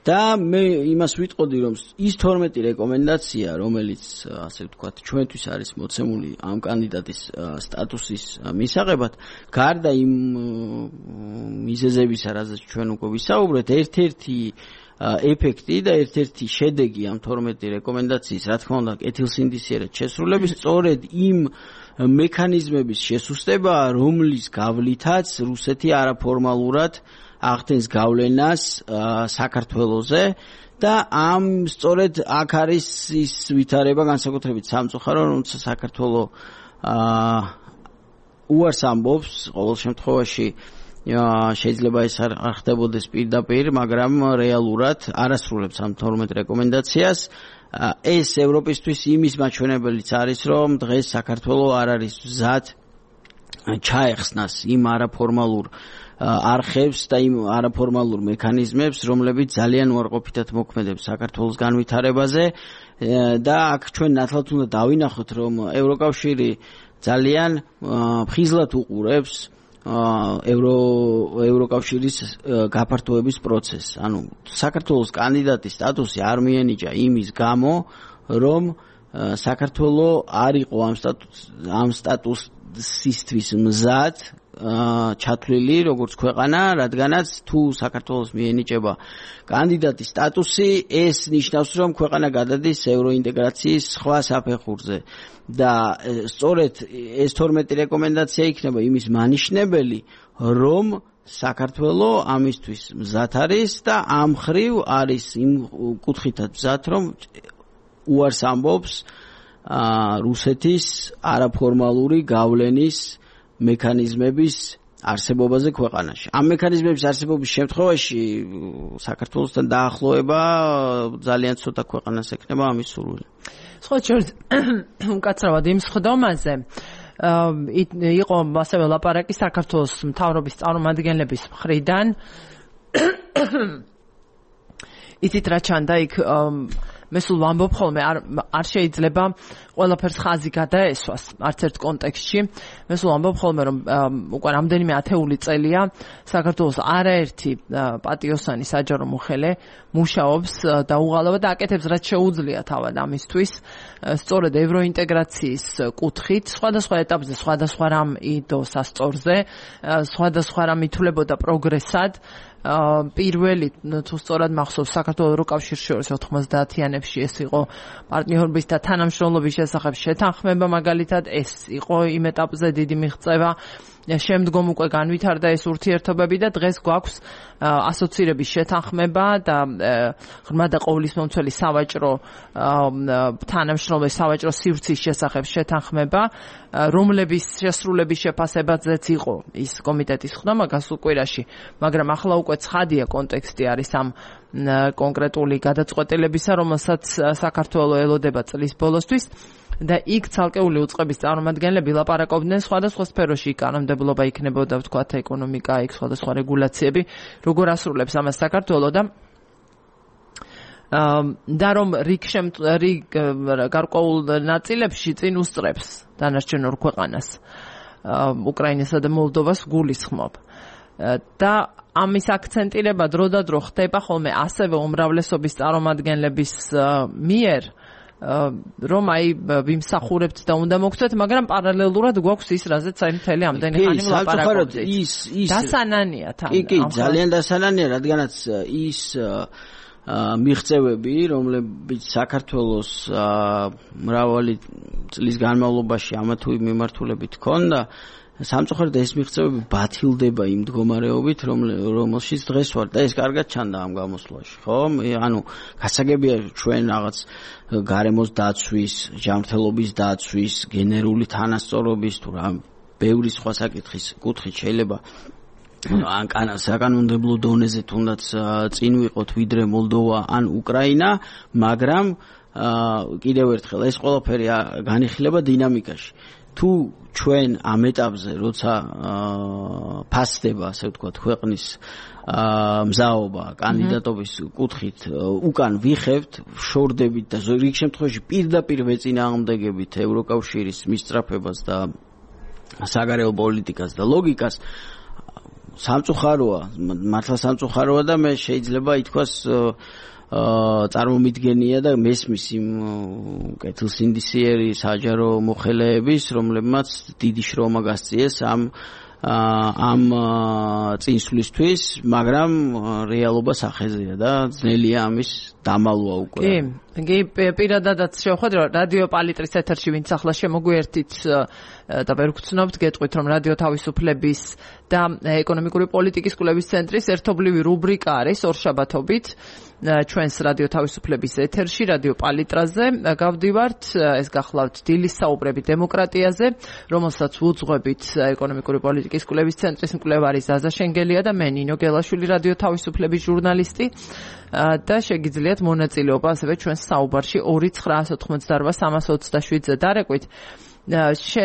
[SPEAKER 2] და მე იმას ვიტყოდი, რომ ის თორმეტი რეკომენდაცია, რომელიც ასე ვთქვათ, ჩვენთვის არის მოცემული ამ კანდიდატის სტატუსის მისაღებად, გარდა იმ მიზეზებისა, რაზეც ჩვენ უკვე ვისაუბრეთ, ერთ-ერთი ეფექტი და ერთ-ერთი შედეგი ამ თორმეტი რეკომენდაციის, რა თქმა უნდა, კეთილსინდისიერად შესრულების სწორედ იმ მექანიზმების შესუსტება, რომლის გავლითაც რუსეთი არაფორმალურად ახდენს გავლენას საქართველოზე და ამ სწორედ აქ არის ის ვითარება განსაკუთრებით სამწუხარო, რომელსაც საქართველო უარს ამბობს ყოველ შემთხვევაში შეიძლება ეს არ ხდებოდეს პირდაპირ, მაგრამ რეალურად არასრულებს ამ თორმეტ რეკომენდაციას. ეს ევროპისთვის იმის მაჩვენებელიც არის, რომ დღეს საქართველო არ არის მზად ჩაეხსნას იმ არაფორმალურ არხებს და იმ არაფორმალურ მექანიზმებს, რომლებიც ძალიან უარყოფითად მოქმედებს საქართველოს განვითარებაზე და აქ ჩვენ ნათლად უნდა დავინახოთ, რომ ევროკავშირი ძალიან ხიზლად უყურებს ევრო ევროკავშირის გაფართოების პროცესს. ანუ საქართველოს კანდიდატის სტატუსი არ მიენიჭა იმის გამო, რომ საქართველო არ იყო ამ სტატუს ამ სტატუსისთვის მზად ჩათვლილი როგორც ქვეყანა, რადგანაც თუ საქართველოს მიენიჭება კანდიდატის სტატუსი, ეს ნიშნავს, რომ ქვეყანა გადადის ევროინტეგრაციის სხვა საფეხურზე. და სწორედ ეს თორმეტი რეკომენდაცია იქნება იმის მანიშნებელი, რომ საქართველო ამისთვის მზად არის და ამ ხრივ არის იმ კუთხითაც მზად, რომ უარს ამბობს რუსეთის არაფორმალური გავლენის მექანიზმების არსებობაზე ქვეყანაში. ამ მექანიზმების არსებობის შემთხვევაში საქართველოსთან დაახლოება ძალიან ცოტა ქვეყანას ექნება ამის სურვილი.
[SPEAKER 1] სხვა შორის უკაცრავად იმ სხდომაზე იყო ასევე ლაპარაკი საქართველოს მთავრობის წარმომადგენლების მხრიდან. იცით რა ჩანდა იქ მე სულ ვამბობ ხოლმე არ არ შეიძლება ყველაფერს ხაზი გადაესვას არც ერთ კონტექსტში. მე სულ ვამბობ ხოლმე რომ უკვე რამდენიმე ათეული წელია საქართველოს არაერთი პატიოსანი საჯარო მოხელე მუშაობს და უღალავად და აკეთებს რაც შეუძლია თავად ამისთვის. სწორედ ევროინტეგრაციის კუთხით სხვადასხვა ეტაპზე სხვადასხვა რამ იდო სასწორზე, სხვადასხვა რამ ითვლებოდა პროგრესად. პირველი თუ სწორად მახსოვს საქართველოს ევროკავშირის შორის ოთხმოცდაათიანებში ეს იყო პარტნიორობის და თანამშრომლობის შესახებ შეთანხმება, მაგალითად ეს იყო იმ ეტაპზე დიდი მიღწევა. შემდგომ უკვე განვითარდა ეს ურთიერთობები და დღეს გვაქვს ასოცირების შეთანხმება და ღრმა და ყოვლისმომცველი სავაჭრო თანამშრომლობის სავაჭრო სივრცის შესახებ შეთანხმება, რომლების შესრულების შეფასებაზეც იყო ის კომიტეტის ხდომა გასულ კვირაში, მაგრამ ახლა უკვე ცხადია კონტექსტი არის ამ კონკრეტული გადაწყვეტილებისა, რომელსაც საქართველო ელოდება წლის ბოლოსთვის. და იქ ცალკეული უწყების წარმომადგენლები ლაპარაკობდნენ სხვადასხვა სფეროში, კანონმდებლობა იქნებოდა, ვთქვათ, ეკონომიკა, იქ სხვადასხვა რეგულაციები, როგორ ასრულებს ამას საქართველო და და რომ რიგ რიგ გარკვეულ ნაწილებში წინ უსწრებს დანარჩენ ორ ქვეყანას, უკრაინასა და მოლდოვას გულისხმობ. და ამის აქცენტირება დრო და დრო ხდება ხოლმე ასევე უმრავლესობის წარმომადგენლების მიერ, რომ აი ვიმსახურებთ და უნდა მოგცეთ, მაგრამ პარალელურად გვაქვს ის, რაზეც აი მთელი ამდენი ხანი ვლაპარაკობთ.
[SPEAKER 2] ის ის
[SPEAKER 1] დასანანია თან.
[SPEAKER 2] კი, კი, ძალიან დასანანია, რადგანაც ის მიღწევები, რომლებიც საქართველოს მრავალი წლის განმავლობაში ამა თუ იმ მიმართულებით ჰქონდა, სამწუხაროდ ეს მიღწევები ბათილდება იმ მდგომარეობით, რომელშიც დღეს ვარ და ეს კარგად ჩანდა ამ გამოსვლაში, ხო? ანუ გასაგებია ჩვენ რაღაც გარემოს დაცვის, ჯანმრთელობის დაცვის, გენერული თანასწორობის თუ რა ბევრი სხვა საკითხის კუთხით შეიძლება ან საკანონმდებლო დონეზე თუნდაც წინ ვიყოთ ვიდრე მოლდოვა ან უკრაინა, მაგრამ კიდევ ერთხელ ეს ყველაფერი განიხილება დინამიკაში. თუ ჩვენ ამ ეტაპზე როცა ფასდება, ასე ვთქვათ, ქვეყნის მზაობა კანდიდატობის კუთხით უკან ვიხევთ, შორდებით და რიგ შემთხვევაში პირდაპირ ვეწინააღმდეგებით ევროკავშირის მისწრაფებას და საგარეო პოლიტიკას და ლოგიკას, სამწუხაროა, მართლა სამწუხაროა და მე შეიძლება ითქვას წარმომიდგენია და მესმის იმ კეთილსინდისიერი საჯარო მოხელეების, რომლებმაც დიდი შრომა გასწიეს ამ ამ წინსვლისთვის, მაგრამ რეალობა სახეზეა და ძნელია ამის დამალვა უკვე.
[SPEAKER 1] კი, კი, პირადადაც შევხვდით, რომ რადიო პალიტრის ეთერში ვინც ახლა შემოგვიერთით და ვერ გწნობთ, გეტყვით, რომ რადიო თავისუფლების და ეკონომიკური პოლიტიკის კვლევის ცენტრის ერთობლივი რუბრიკა არის ორშაბათობით ჩვენს რადიო თავისუფლების ეთერში, რადიო პალიტრაზე გავდივართ, ეს გახლავთ დილის საუბრები დემოკრატიაზე, რომელსაც უძღვებით ეკონომიკური პოლიტიკის კვლევის ცენტრის მკვლევარი ზაზა შენგელია და მე ნინო გელაშვილი, რადიო თავისუფლების ჟურნალისტი და შეგიძლიათ მონაწილეობა ასევე ჩვენს საუბარში ორი ცხრა ოცდაოთხმოცდარბა სამას ოცდაშვიდზე დარეკვით. შე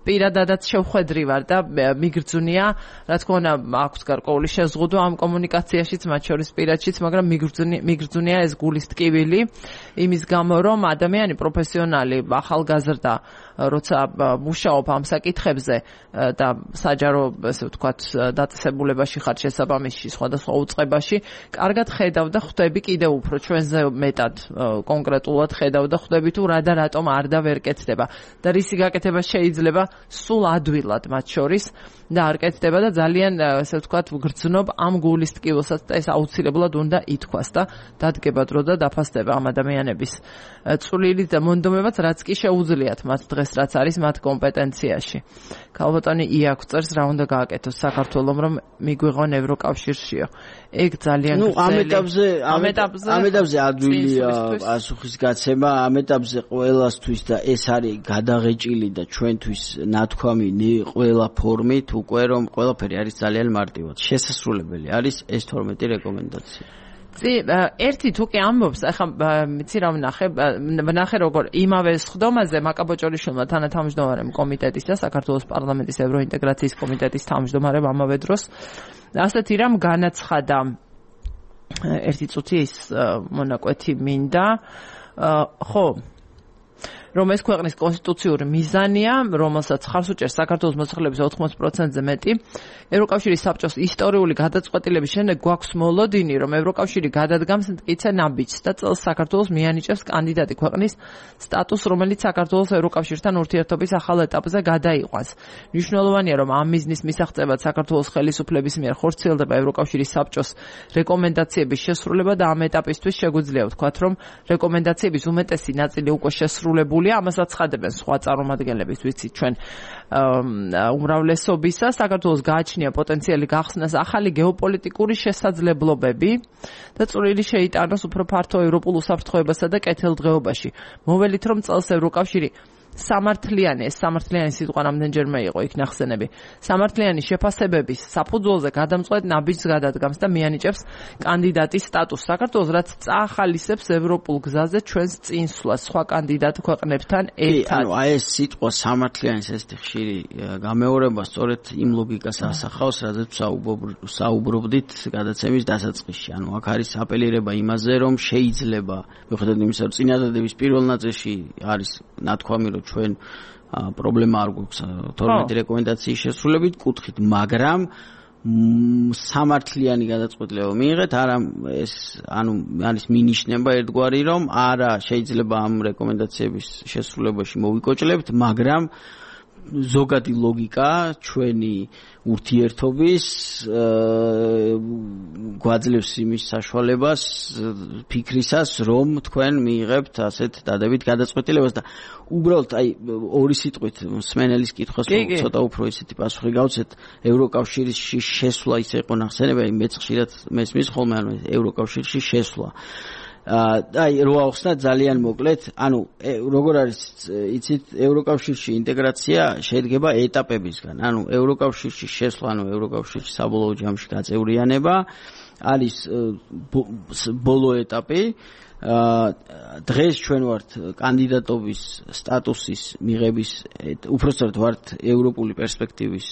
[SPEAKER 1] პირადადაც შევხვედრი ვარ და მიგრძნია, რა თქმა უნდა, აქვს გარკვეული შეზღუდვა ამ კომუნიკაციაშიც, მათ შორის პირადშიც, მაგრამ მიგრძნია ეს გულის ტკივილი იმის გამო, რომ ადამიანი პროფესიონალი, ახალგაზრდა, როცა მუშაობ ამ საკითხებზე და საჯარო, ესე ვთქვათ, დაწესებულებაში ხარ შესაბამისში, სხვადასხვა უწყებაში, კარგად ხედავ და ხვდები კიდევ უფრო ჩვენზე მეტად კონკრეტულად ხედავ და ხვდები თუ რა და რატომ არ და ვერ კეთდება. და რისი გაკეთება შეიძლება სულ ადვილად მათ შორის და არ კეთდება და ძალიან, ასე ვთქვათ, გრძნობ ამ გულის ტკივილსაც და ეს აუცილებლად უნდა ითქვას და დადგება დრო და დაფასდება ამ ადამიანების წვლილი და მონდომებაც, რაც კი შეუძლიათ მათ დღეს, რაც არის მათ კომპეტენციაში. ქალბატონი იაკ წერს, რა უნდა გააკეთოს საქართველომ, რომ მიგვიღონ ევროკავშირშიო. ეგ ძალიან
[SPEAKER 2] ნუ ამ ეტაპზე ამ ეტაპზე ამ ეტაპზე ადვილია პასუხის გაცემა, ამ ეტაპზე ყველასთვის და ეს არის გადაღეჭილი და ჩვენთვის ნათქვამი ყველა ფორმით უკვე, რომ ყველაფერი არის ძალიან მარტივად შესასრულებელი არის ეს თორმეტი რეკომენდაცია.
[SPEAKER 1] წი ერთი თუკი ამბობს, ახლა მიცი რა ვნახე, ვნახე როგორ იმავე სხდომაზე მაკაბოჭორიშვილმა თანათავმჯდომარემ კომიტეტის და საქართველოს პარლამენტის ევროინტეგრაციის კომიტეტის თავმჯდომარემ ამავე დროს ასეთი რამ განაცხადა, ერთი წუთი ის მონაკვეთი მინდა, ხო, რომ ეს ქვეყნის კონსტიტუციური მიზანია, რომელსაც ხარს უჭერს საქართველოს მოსახლეობის ოთხმოც პროცენტზე მეტი, ევროკავშირის საბჭოს ისტორიული გადაწყვეტილების შემდეგ გვაქვს მოლოდინი, რომ ევროკავშირი გადადგამს მტკიცე ნაბიჯს და წელს საქართველოს მიანიჭებს კანდიდატი ქვეყნის სტატუსს, რომელიც საქართველოს ევროკავშირთან ურთიერთობის ახალ ეტაპზე გადაიყვანს. მნიშვნელოვანია, რომ ამ მიზნის მისაღწევად საქართველოს ხელისუფლების მიერ ხორციელდება ევროკავშირის საბჭოს რეკომენდაციების შესრულება და ამ ეტაპისთვის შეგვიძლია ვთქვათ, რომ რეკომენდაციების უმეტესი ნაწილი უკვე შესრულებული ამასაც ხადებენ სხვა წარმომადგენლების, ვიცით ჩვენ უმრავლესობისა, საქართველოს გააჩნია პოტენციალი გახსნას ახალი გეოპოლიტიკური შესაძლებლობები და წვლილი შეიტანოს უფრო ფართო ევროპულ უსაფრთხოებასა და კეთილდღეობაში. მოველით, რომ წელს ევროკავშირი სამართლიანი, ეს სამართლიანი სიტყვა რამდენჯერმე იყო იქ ნახსენები, სამართლიანი შეფასებების საფუძველზე გადამწყვეტ ნაბიჯს გადადგამს და მიანიჭებს კანდიდატის სტატუსს. საქართველოს რაც წაახალისებს ევროპულ გზაზე ჩვენს წინსვლას სხვა კანდიდატ ქვეყნებთან ერთად.
[SPEAKER 2] ანუ აი ეს სიტყვა სამართლიანის ესეთი ხშირი გამეორება სწორედ იმ ლოგიკას ასახავს, რადგან საუბრობდით გადაცემის დასაწყისში. ანუ აქ არის აპელირება იმაზე, რომ შეიძლება, მიუხედავად იმისა, რომ წინადადების პირველ ნაწილში არის ნათქვამი, რომ ჩვენ პრობლემა არ გვაქვს თორმეტი რეკომენდაციის შესრულებით კუთხით, მაგრამ სამართლიანი გადაწყვეტილება მიიღეთ, არა ეს ანუ არის მინიშნება ერთგვარი რომ არა შეიძლება ამ რეკომენდაციების შესრულებაში მოვიკოჭლებთ, მაგრამ ზოგადი ლოგიკა ჩვენი ურთიერთობის გვაძლევს იმის საშუალებას ფიქრისას რომ თქვენ მიიღებთ ასეთ დადებით გადაწყვეტილებას და უბრალოდ აი ორი სიტყვით მსმენელის კითხვას ცოტა უფრო ისეთი პასუხი გავცეთ ევროკავშირში შესვლა ისე იყო ნახსენებია მეც ხშირად მესმის ხოლმე ანუ ევროკავშირში შესვლა აი რო ახსნა ძალიან მოკლედ ანუ როგორ არის იცით ევროკავშირში ინტეგრაცია შედგება ეტაპებისგან ანუ ევროკავშირში შესვლა ანუ ევროკავშირში საბოლოო ჯამში გაწევრიანება არის ბოლო ეტაპი დღეს ჩვენ ვართ კანდიდატობის სტატუსის მიღების უпростоრად ვართ ევროპული პერსპექტივის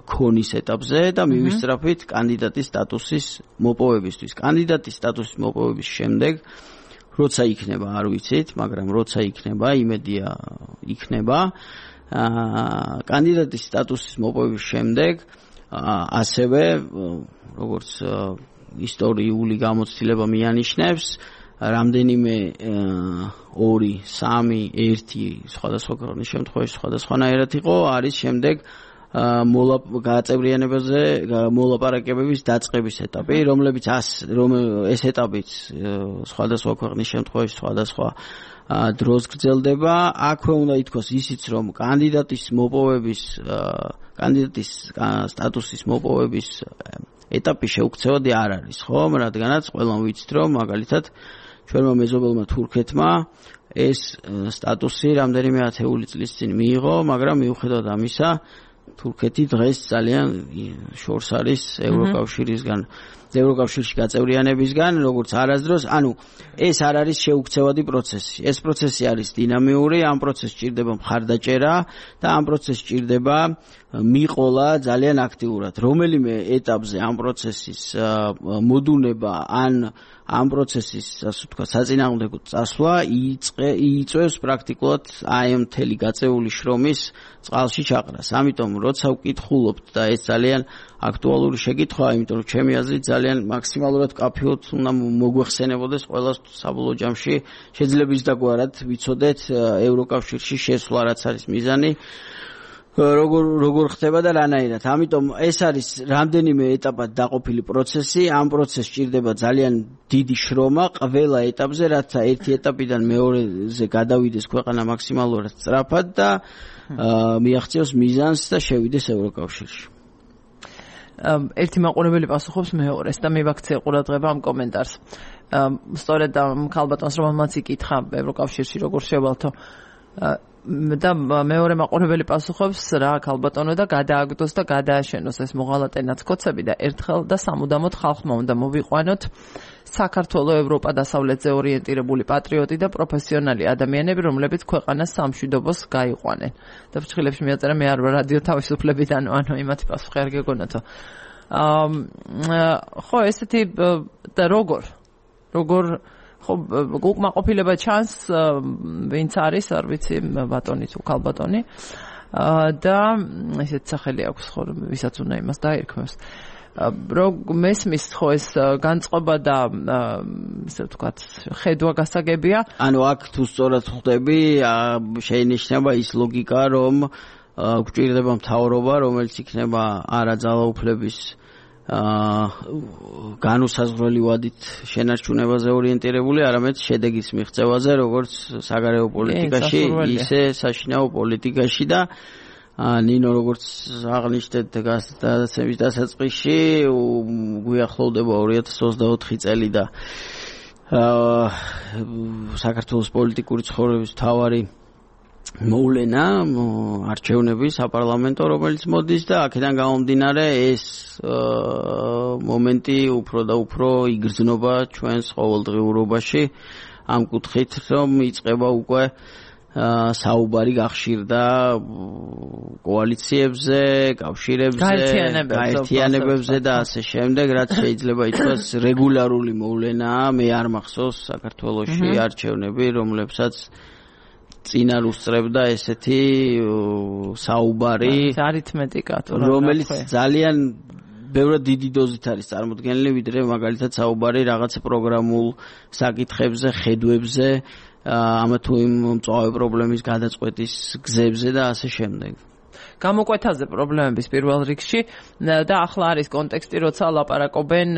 [SPEAKER 2] ქონის ეტაპზე და მივისწრაფით კანდიდატის სტატუსის მოპოვებისთვის. კანდიდატის სტატუსის მოპოვების შემდეგ როცა იქნება არ ვიცით, მაგრამ როცა იქნება, იმედია იქნება. კანდიდატის სტატუსის მოპოვების შემდეგ ასევე როგორც ისტორიული გამოცდილება მიანიშნებს რამდენიმე ორი, სამი, ერთი სხვადასხვა ქვეყნის შემთხვევაში სხვადასხვანაირად იყო, არის შემდეგ გაწევრიანებაზე მოლაპარაკებების დაწყების ეტაპი, რომლებიც ეს ეტაპიც სხვადასხვა ქვეყნის შემთხვევაში სხვადასხვა დროს გრძელდება. აქვე უნდა ითქვას ისიც, რომ კანდიდატის მოპოვების კანდიდატის სტატუსის მოპოვების ეტაპი შეუქცევადი არ არის, ხო? რადგანაც ყველამ ვიცით, რომ მაგალითად ჩვენმა მეზობელმა თურქეთმა ეს სტატუსი რამდენიმე ათეული წლის წინ მიიღო, მაგრამ მიუხედავად ამისა, თურქეთი დღეს ძალიან შორს არის ევროკავშირისგან, ევროკავშირში გაწევრიანებისგან, როგორც არასდროს, ანუ ეს არ არის შეუქცევადი პროცესი. ეს პროცესი არის დინამიური, ამ პროცესს სჭირდება მხარდაჭერა და ამ პროცესს სჭირდება მიყოლა ძალიან აქტიურად. რომელიმე ეტაპზე ამ პროცესის მოდუნება ან ამ პროცესის, ასე ვთქვათ, საწინააღმდეგო წასვლა იწვევს პრაქტიკულად აი ამ მთელი გაწეული შრომის წყალში ჩაყრას. ამიტომ როცა ვკითხულობთ და ეს ძალიან აქტუალური შეკითხვაა, იმიტომ რომ ჩემი აზრით ძალიან მაქსიმალურად კაფეოთ უნდა მოგვეხსენებოდეს ყველას საბოლოო ჯამში შეიძლება ის დაგვარად ვიცოდეთ ევროკავშირში შესვლა რაც არის მიზანი როგორ როგორ ხდება და რანაირად. ამიტომ ეს არის რამდენიმე ეტაპად დაყოფილი პროცესი. ამ პროცესს სჭირდება ძალიან დიდი შრომა ყველა ეტაპზე, რათა ერთი ეტაპიდან მეორეზე გადავიდეს ქვეყანა მაქსიმალურად სწრაფად და მიაღწიოს მიზანს და შევიდეს ევროკავშირში.
[SPEAKER 1] ერთი მაყურებელი პასუხობს მეორეს და მივაქცია ყურადღება ამ კომენტარს. სწორედ ქალბატონს რომელმაც იკითხა ევროკავშირში როგორ შევალთო და მეორე მაყურებელი პასუხობს რა ქალბატონო და გადააგდოს და გადააშენოს ეს მოღალატე ნაცკოცები და ერთხელ და სამუდამოდ ხალხმა უნდა მოვიყვანოთ საქართველო ევროპა დასავლეთზე ორიენტირებული პატრიოტი და პროფესიონალი ადამიანები, რომლებიც ქვეყანას სამშვიდობოს გაიყვანენ. და ფრჩხილებში მიაწერა მე არ ვარ რადიო თავისუფლებიდან, ანუ იმათი პასუხი არ გეგონათო. ხო, ესეთი და როგორ როგორ ხო უკმაყოფილება ჩანს ვინც არის არ ვიცი ბატონი თუ ქალბატონი და ესეთ სახელი აქვს ხო ვისაც უნდა იმას დაერქმევს რო მესმის ხო ეს განწყობა და ესე ვთქვათ ხედვა გასაგებია
[SPEAKER 2] ანუ აქ თუ სწორად ხვდები შეინიშნება ის ლოგიკა რომ გვჭირდება მთავრობა რომელიც იქნება არა ძალაუფლების განუსაზღვრელი ვადით შენარჩუნებაზე ორიენტირებული, არამედ შედეგის მიღწევაზე, როგორც საგარეო პოლიტიკაში, ისე საშინაო პოლიტიკაში და ნინო როგორც აღნიშნეთ გადაცემის დასაწყისში, გვიახლოვდება ორი ათას ოცდაოთხი წელი და საქართველოს პოლიტიკური ცხოვრების მთავარი მოვლენა არჩევნები საპარლამენტო რომელიც მოდის და აქედან გამომდინარე ეს მომენტი უფრო და უფრო იგრძნობა ჩვენს ყოველდღიურობაში ამ კუთხით რომ იწყება უკვე საუბარი გახშირდა კოალიციებზე, კავშირებზე, გაერთიანებებზე და ასე შემდეგ, რაც შეიძლება ითქვას რეგულარული მოვლენაა. მე არ მახსოვს საქართველოში არჩევნები, რომლებსაც წინარ უსწრებდა ესეთი საუბარი,
[SPEAKER 1] არითმეტიკა თუ
[SPEAKER 2] რომელიც ძალიან ბევრად დიდი დოზით არის წარმოდგენილი, ვიდრე მაგალითად საუბარი რაღაცა პროგრამულ საკითხებზე, ხედვებზე, ამა თუ იმ მწვავე პრობლემის გადაწყვეტის გზებზე და ასე შემდეგ.
[SPEAKER 1] გამოკვეთაზე პრობლემების პირველ რიგში და ახლა არის კონტექსტი, როცა ლაპარაკობენ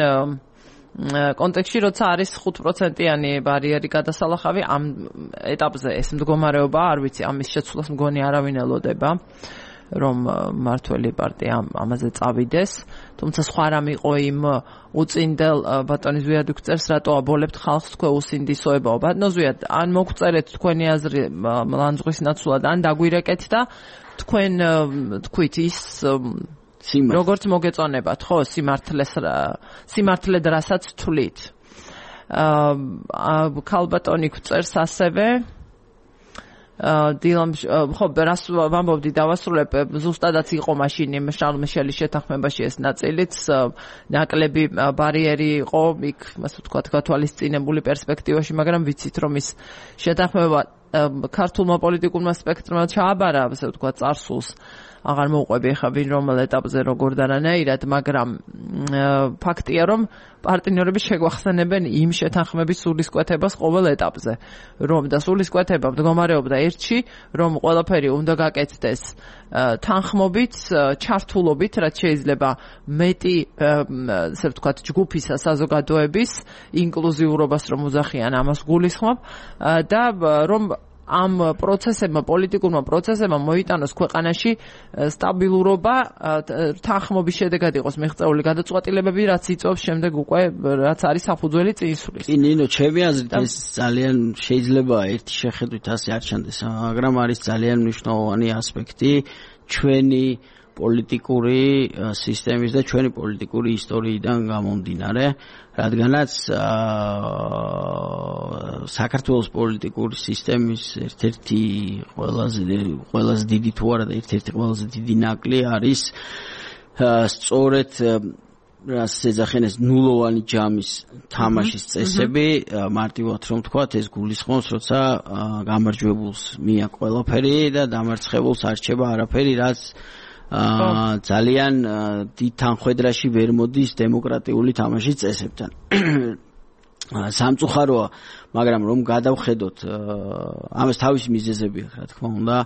[SPEAKER 1] კონტექსტში, როცა არის ხუთ პროცენტიანი ბარიერი გადასალახავი, ამ ეტაპზე ეს მდგომარეობა, არ ვიცი, ამის შეცვლას მგონი არავინ ელოდება, რომ მართველი პარტია ამაზე წავიდეს, თუმცა სხვა რამ იყო იმ უწინდელ ბატონის ვიადუქ წერს, რატო აბოლებთ ხალხს თქვენ უსინდისოებაო. ბატონო ზვიად, ან მოგწერეთ თქვენი აზრი ლანძღვრის ნაცვლად, ან დაგვირეკეთ და თქვენ თქვით ის როგორც მოგეწონებათ, ხო, სიმართლეს სიმართლედ რასაც თვლით. აა ქალბატონი გვწერს ასევე დილამ ხო რას ვამბობდი დავასრულებ ზუსტადაც იყო მაშინ იმ შარლ მიშელის შეთანხმებაში ეს ნაწილიც ნაკლები ბარიერი იყო იქ ასე ვთქვათ გათვალისწინებული პერსპექტივაში, მაგრამ ვიცით რომ ის შეთანხმება ქართულმა პოლიტიკურმა სპექტრმა ჩააბარა, ასე ვთქვათ, წარსულს აღარ მოუყვები ხა ვინ რომელ ეტაპზე როგორ და რანაირად, მაგრამ ფაქტია რომ პარტნიორები შეგვახსენებენ იმ შეთანხმების სულისკვეთებას ყოველ ეტაპზე, რომ და სულისკვეთება მდგომარეობდა ერთში, რომ ყველაფერი უნდა გაკეთდეს თანხმობით, ჩართულობით, რაც შეიძლება მეტი, ასე ვთქვათ, ჯგუფისა საზოგადოების ინკლუზიურობას რომ უძახიან, ამას გულისხმობ და რომ ამ პროცესებმა, პოლიტიკურმა პროცესებმა მოიტანოს ქვეყანაში სტაბილურობა, თანხმობის შედეგად იყოს მიღწეული გადაწყვეტილებები, რაც იწვევს შემდეგ უკვე რაც არის საფუძველი წინსვლის.
[SPEAKER 2] კი, ნინო, ჩემი აზრით ეს ძალიან შეიძლება ერთი შეხედვით ასე არ ჩანდეს, მაგრამ არის ძალიან მნიშვნელოვანი ასპექტი ჩვენი პოლიტიკური სისტემის და ჩვენი პოლიტიკური ისტორიიდან გამომდინარე, რადგანაც საქართველოს პოლიტიკური სისტემის ერთ-ერთი ყველაზე ყველაზე დიდი თუ არა და ერთ-ერთი ყველაზე დიდი ნაკლი არის სწორედ რაც ეძახენ ეს ნულოვანი ჯამის თამაშის წესები, მარტივად რომ ვთქვათ, ეს გულისხმობს, როცა გამარჯვებულს მია ყველაფერი და დამარცხებულს არჩება არაფერი, რაც აა ძალიან დიდ თანხმედრაში ვერ მოდის დემოკრატიული თამაშის წესებთან. სამწუხაროა, მაგრამ რომ გადავხედოთ, ამას თავისი მიზეზები აქვს, რა თქმა უნდა,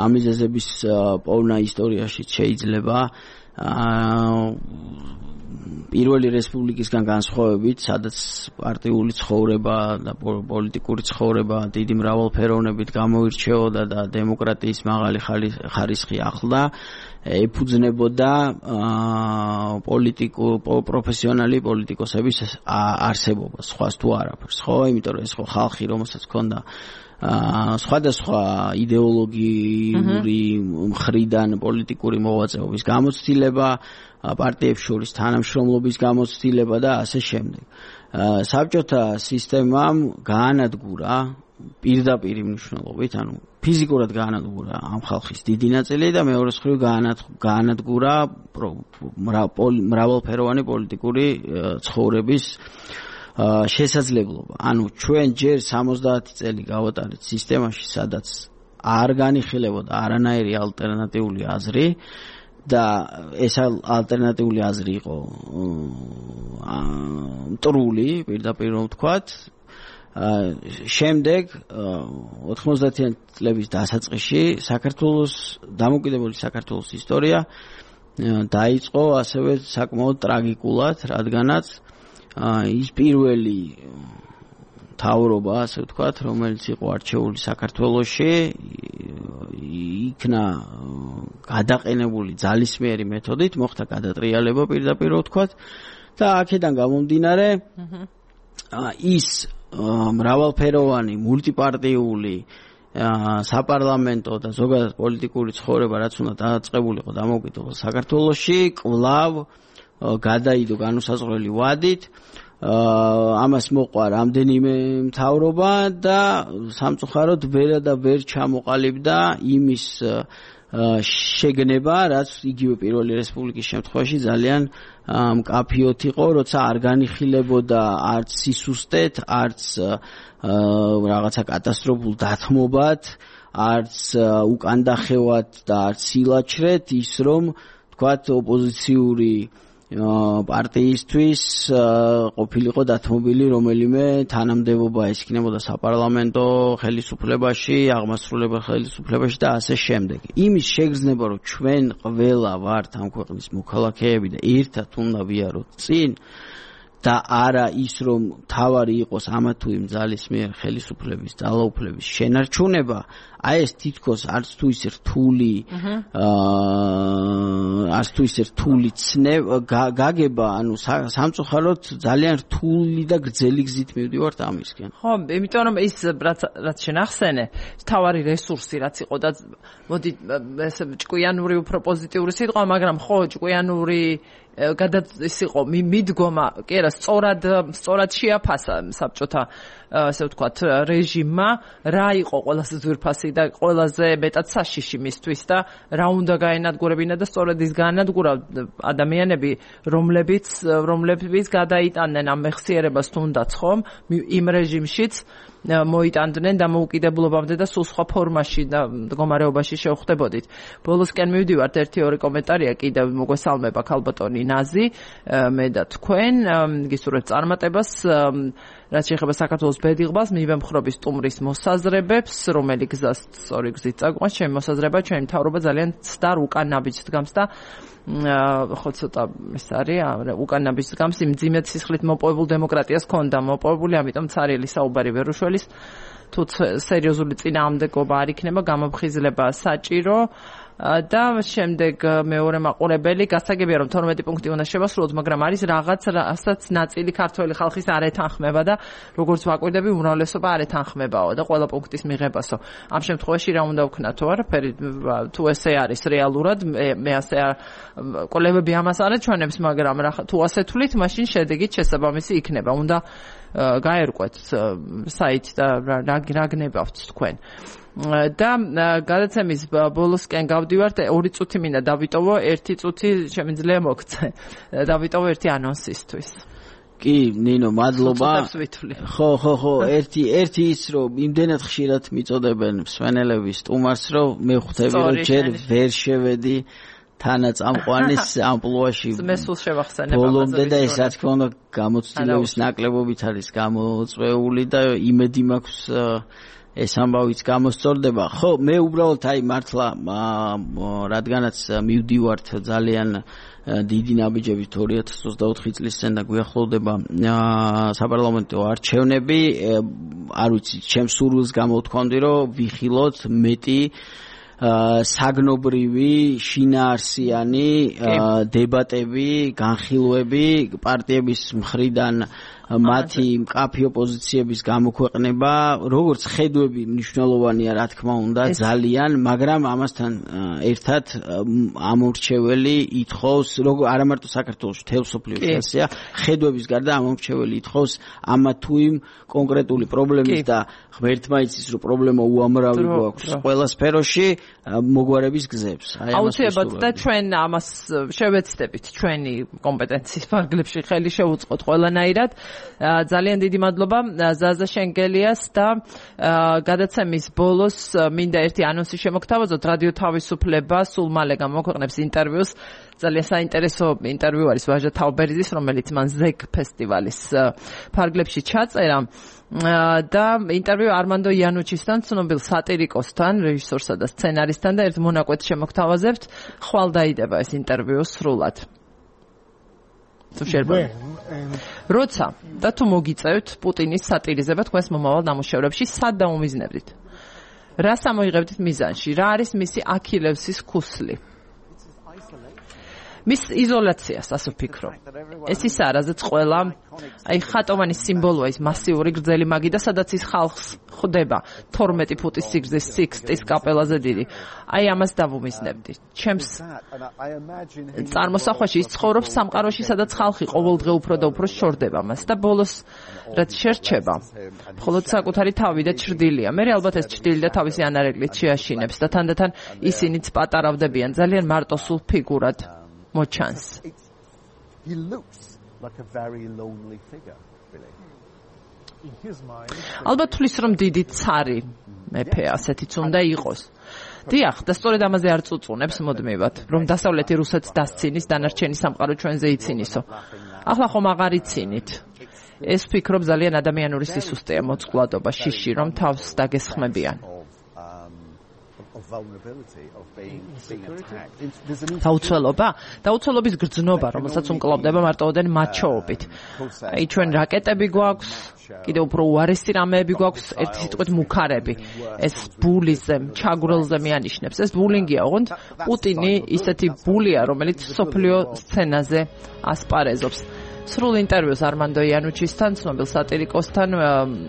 [SPEAKER 2] ამ მიზეზების პოვნა ისტორიაში შეიძლება აა პირველი რესპუბლიკისგან განსხვავებით, სადაც პარტიული ცხოვრება და პოლიტიკური ცხოვრება დიდი მრავალფეროვნებით გამოირჩეოდა და დემოკრატიის მაღალი ხარისხი ახლდა, ეფუძნებოდა პოლიტიკო პროფესიონალი პოლიტიკოსების არსებობას, სხვას თუ არაფერს, ხო, იმიტომ რომ ეს ხო ხალხი, რომელსაც ჰქონდა სხვადასხვა იდეოლოგიური მხრიდან პოლიტიკური მოღვაწეობის გამოცდილება, პარტიებს შორის თანამშრომლობის გამოცდილება და ასე შემდეგ. საბჭოთა სისტემამ გაანადგურა პირდაპირ მნიშვნელობით, ანუ ფიზიკურად გაანადგურა ამ ხალხის დიდი ნაწილი და მეორე მხრივ გაანადგურა მრავალფეროვანი პოლიტიკური ცხოვრების შესაძლებლობა. ანუ ჩვენ ჯერ სამოცდაათი წელი გავატარეთ სისტემაში, სადაც არ განიხილებოდა არანაირი ალტერნატიული აზრი და ეს ალტერნატიული აზრი იყო მტრული, პირდაპირ რომ ვთქვათ. შემდეგ ოთხმოცდაათიანი წლების დასაწყისში საქართველოს დამოუკიდებელი საქართველოს ისტორია დაიწყო ასევე საკმაოდ ტრაგიკულად, რადგანაც ის პირველი მთავრობა, ასე ვთქვათ, რომელიც იყო არჩეული საქართველოში, იქნა გადაყენებული ძალისმიერი მეთოდით, მოხდა გადატრიალება პირდაპირ ვთქვათ და აქედან გამომდინარე ის მრავალფეროვანი მულტიპარტიული საპარლამენტო და ზოგადად პოლიტიკური ცხოვრება, რაც უნდა დაწყებულიყო დამოუკიდებელ საქართველოში, კვლავ გადაიდო განუსაზღვრელი ვადით, ამას მოყვა რამდენიმე მთავრობა და სამწუხაროდ ვერ და ვერ ჩამოყალიბდა იმის შეგნება, რაც იგივე პირველი რესპუბლიკის შემთხვევაში ძალიან მკაფიოდ იყო, როცა არ განიხილებოდა არც სისუსტეთ, არც რაღაცა კატასტროფულ დათმობად, არც უკანდახევად და არც სილაჩრეთ, ის რომ თქვათ ოპოზიციური პარტიისთვის ყოფილიყო დათმობილი რომელიმე თანამდებობა ეს იქნებოდა საპარლამენტო ხელისუფლებაში, აღმასრულებელ ხელისუფლებაში და ასე შემდეგ. იმის შეგრძნება რომ ჩვენ ყველა ვართ ამ ქვეყნის მოქალაქეები და ერთად უნდა ვიაროთ წინ და არა ის რომ თავარი იყოს ამა თუ იმ ძალის მიერ ხელისუფლების ძალაუფლების შენარჩუნება, აი ეს თითქოს არც თუ ის რთული აა არც თუ ის რთული ცნება გაგება, ანუ სამწუხაროდ ძალიან რთული და გრძელი გზით მივდივართ ამისკენ.
[SPEAKER 1] ხო, იმიტომ რომ ის რაც რაც შენახსენე, თავარი რესურსი რაც იყო და მოდი ესე ჭკვიანური უფრო პოზიტიური სიტყვა, მაგრამ ხო, ჭკვიანური გადაც ის იყო მიდგომა, კი არა, სწორად სწორად შეაფასა საბჭოთა ასე ვთქვათ რეჟიმმა, რა იყო ყველაზე ძვირფასი და ყველაზე მეტად საშიში მისთვის და რა უნდა გაენადგურებინა და სწორედ ის გაანადგურა ადამიანები, რომლებიც რომლებიც გადაიტანდნენ ამ მეხსიერებას თუნდაც ხომ იმ რეჟიმშიც მოიტანდნენ დამოუკიდებლობამდე და სულ სხვა ფორმაში და მდგომარეობაში შევხვდებოდით. ბოლოსკენ მივდივართ, ერთი ორი კომენტარია კიდევ მოგესალმება ქალბატონი ნაზი, მე და თქვენ გისურვებთ წარმატებას, რაც შეეხება საქართველოს ბედიღბას, მივემხრობის სტუმრის მოსაზრებებს, რომელი გზას სწორი გზით წაგვყავს, ჩემი მოსაზრება, ჩემი მთავრობა ძალიან ცდარ უკან ნაბიჯს დგამს და ხო ცოტა ეს არის უკან ნაბიჯს დგამს იმ ძიმეთ სისხლით მოპოვებულ დემოკრატიას ქონდა მოპოვებული, ამიტომ ცარიელი საუბარი ვერ უშველის, თუ სერიოზული წინააღმდეგობა არ იქნება, გამოფხიზლება საჭირო და შემდეგ მეორე მაყურებელი გასაგებია რომ თორმეტი პუნქტი უნდა შევასრულოთ, მაგრამ არის რაღაც რასაც ნაწილი ქართველი ხალხის არ ეთანხმება და როგორც ვაკვირდები უმრავლესობა არ ეთანხმებაო და ყველა პუნქტის მიღებასო. ამ შემთხვევაში რა უნდა ვქნათო, არაფერი თუ ესე არის რეალურად, მე ასე კოლეგები ამას არ აჩვენებს, მაგრამ თუ ასე თვლით, მაშინ შედეგით შესაბამისი იქნება. უნდა გაერკვეთ საიტი და რა გნებავთ თქვენ. და გადაცემის ბოლოსკენ გავდივართ, ორი წუთი მინდა დავიტოვო, ერთი წუთი შემიძლია მოგცე. დავიტოვო ერთი ანონსისთვის.
[SPEAKER 2] კი, ნინო, მადლობა. ხო, ხო, ხო, ერთი ერთი ის რომ იმდენად ხშირად მიწოდებენ მსვენელების სტუმარს, რომ მე ხვდები რომ ჯერ ვერ შევედი თანაც ამყვანის ამპლუაში
[SPEAKER 1] მესულ შევახსენებ
[SPEAKER 2] ბოლომდე და ეს რა თქმა უნდა გამოცდილების ნაკლებობით არის გამოწვეული და იმედი მაქვს ეს ამბავიც გამოსწორდება. ხო, მე უბრალოდ აი მართლა რადგანაც მივდივართ ძალიან დიდი ნაბიჯებით ორი ათას ოცდაოთხი წლის წინ და გვიახლოვდება საპარლამენტო არჩევნები, არ ვიცი, ჩემს სურვილს გამოვთქვამდი რომ ვიხილოთ მეტი საგნობრივი, შინაარსიანი დებატები, განხილვები პარტიების მხრიდან მათი მკაფიო პოზიციების გამოქვეყნება, როგორც ხედვები მნიშვნელოვანია, რა თქმა უნდა, ძალიან, მაგრამ ამასთან ერთად ამორჩეველი ითხოვს, როგორ არა მარტო საქართველოში, მთელ მსოფლიოში ასეა, ხედვების გარდა ამორჩეველი ითხოვს ამა თუ იმ კონკრეტული პრობლემის და ღმერთმა იცის, რომ პრობლემა უამრავი გვაქვს ყველა სფეროში, მოგვარების გზებს.
[SPEAKER 1] აუცილებლად და ჩვენ ამას შევეცდებით ჩვენი კომპეტენციის ფარგლებში ხელი შევუწყოთ ყველანაირად. ძალიან დიდი მადლობა ზაზა შენგელიას და გადაცემის ბოლოს მინდა ერთი ანონსი შემოგთავაზოთ. რადიო თავისუფლება სულ მალე გამოქვეყნებს ინტერვიუს. ძალიან საინტერესო ინტერვიუ არის ვაჟა თავბერიძის, რომელიც მან ზეგ ფესტივალის ფარგლებში ჩაწერა. და ინტერვიუ არმანდო იანუჩისთან, ცნობილ სატირიკოსთან, რეჟისორსა და სცენარისტთან და ერთ მონაკვეთს შემოგთავაზებთ. ხვალ დაიდება ეს ინტერვიუ სრულად. თუ შეიძლება. როცა და თუ მოგიწევთ პუტინის სატირიზება თქვენს მომავალ ნამუშევრებში, სად დაუმიზნებდით? რას ამოიღებდით მიზანში? რა არის მისი აქილევსის ქუსლი? მის იზოლაციას, ასე ვფიქრობ. ეს ის არა, რაზეც ყველა აი ხატოვანი სიმბოლოა, ის მასიური გრძელი მაგი და სადაც ის ხალხს ხვდება თორმეტი ფუტის სიგრძის სიქსტის კაპელაზე დიდი. აი ამას დავუმიზნებდი. ჩემს წარმოსახვაში ის ცხოვრობს სამყაროში, სადაც ხალხი ყოველდღე უფრო და უფრო შორდება მას და ბოლოს რაც შერჩება, მხოლოდ საკუთარი თავი და ჩრდილია. მე ალბათ ეს ჩრდილი და თავისი ანარეკლით შეაშინებს და თანდათან ისინიც პატარავდებიან ძალიან მარტოსულ ფიგურად. მოჩანს.
[SPEAKER 4] He looks like a very lonely figure, really. In his mind.
[SPEAKER 1] ალბათ თulis რომ დიდი ცარი მეფე ასეთიც უნდა იყოს. დიახ, და სწორედ ამაზე არ წუწუნებს მოდმევად, რომ დასავლეთი რუსეთს დასცინის, დანარჩენი სამყარო ჩვენზე იცინისო. ახლა ხომ აღარ იცინით. ეს ვფიქრობ ძალიან ადამიანური სისუსტეა, მოწყვლადობა, შიში, რომ თავს დაგესხმებიან. დაუცველობა? დაუცველობის გრძნობა, რომელსაც უმკლავდება მარტოოდენ მაჩოობით. აი ჩვენ რაკეტები გვაქვს, კიდევ უფრო უარესი რამეები გვაქვს, ერთი სიტყვით მუქარები. ეს ბულიზე, ჩაგვრელზე მეანიშნებს. ეს ბულინგია, ოღონდ პუტინი ისეთი ბულია, რომელიც სოფლიო სცენაზე ასპარეზობს. სრულ ინტერვიუს armando iannuchisთან, ცნობილ სატირიკოსთან,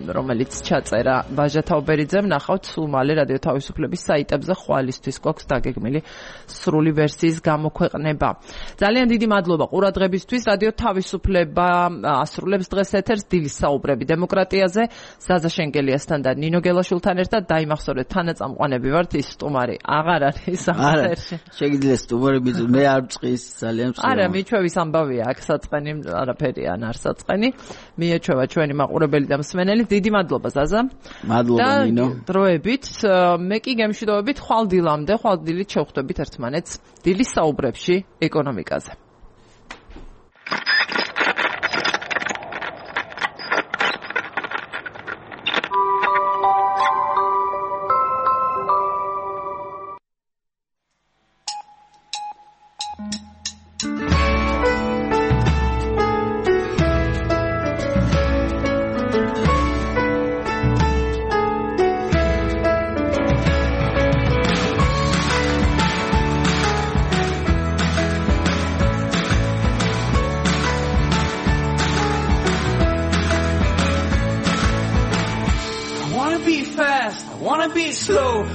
[SPEAKER 1] რომელიც ჩაწერა ვაჟა თაუბერიძემ, ნახავთ სულ მალე რადიო თავისუფლების საიტებზე ხვალისთვის გვაქვს დაგეგმილი სრული ვერსიის გამოქვეყნება. ძალიან დიდი მადლობა ყურადღებისთვის. რადიო თავისუფლება ასრულებს დღეს ეთერს დილის საუბრები დემოკრატიაზე. ზაზა შენგელიასთან და ნინო გელაშვილთან ერთად დაიმახსოვრეთ, თანაწამყვანები ვართ, ის სტუმარი აღარ არის ეთერში.
[SPEAKER 2] შეგიძლიათ სტუმარი ბიძო, მე არ მწყის ძალიან მსწავლობ.
[SPEAKER 1] არა, მიჩვევის ამბავია, აქ საწყენი არაფერი ან არ საწყენი. მიეჩვევა ჩვენი მაყურებელი და მსმენელი. დიდი მადლობა ზაზა.
[SPEAKER 2] მადლობა ნინო.
[SPEAKER 1] დროებით მე კი გემშვიდობებით ხვალ დილამდე, ხვალ დილით შევხვდებით ერთმანეთს დილის საუბრებში ეკონომიკაზე.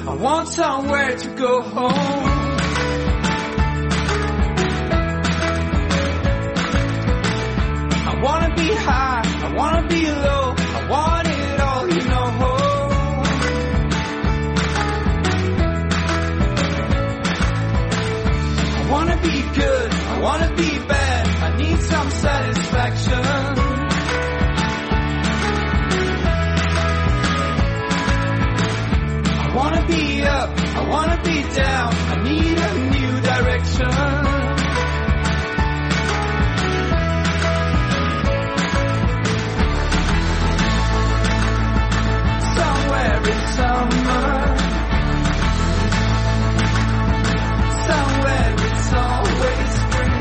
[SPEAKER 5] I want somewhere to go home. I wanna be high, I wanna be low, I want it all, you know. I wanna be good, I wanna be bad, I need some satisfaction. I wanna be up, I wanna be down, I need a new direction. Somewhere in summer, somewhere it's always spring.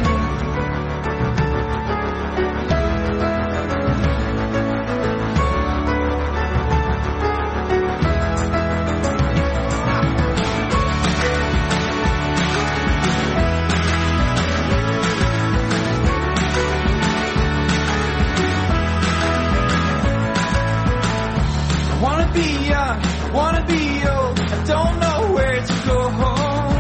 [SPEAKER 5] I wanna be young, I wanna be old, I don't know where to go home.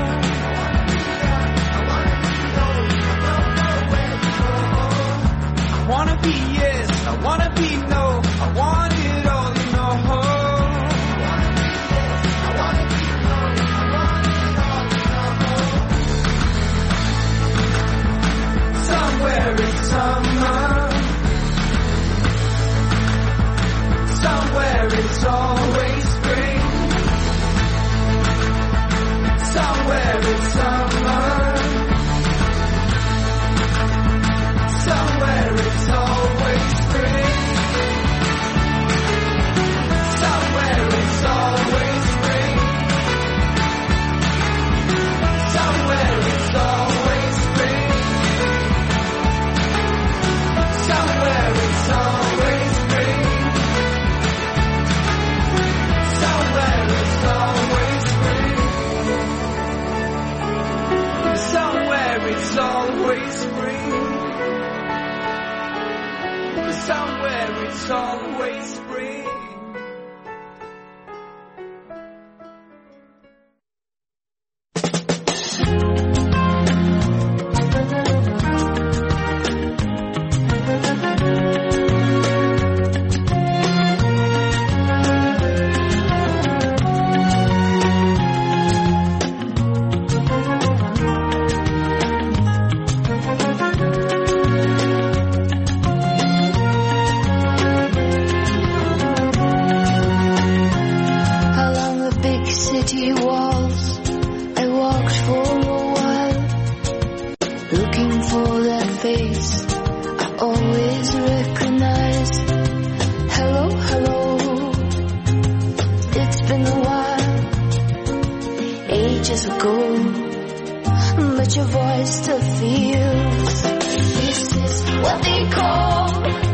[SPEAKER 5] I wanna be yes, I wanna be no, I want it all, you know. Somewhere in summer, somewhere it's always spring. Somewhere it's summer. Somewhere it's always spring. Somewhere it's always spring. Somewhere it's always spring. Somewhere it's always spring. Somewhere it's always spring. Somewhere it's always spring. Somewhere it's always spring.
[SPEAKER 6] Along the big city walls, ages ago, but your voice still feels. This is what they call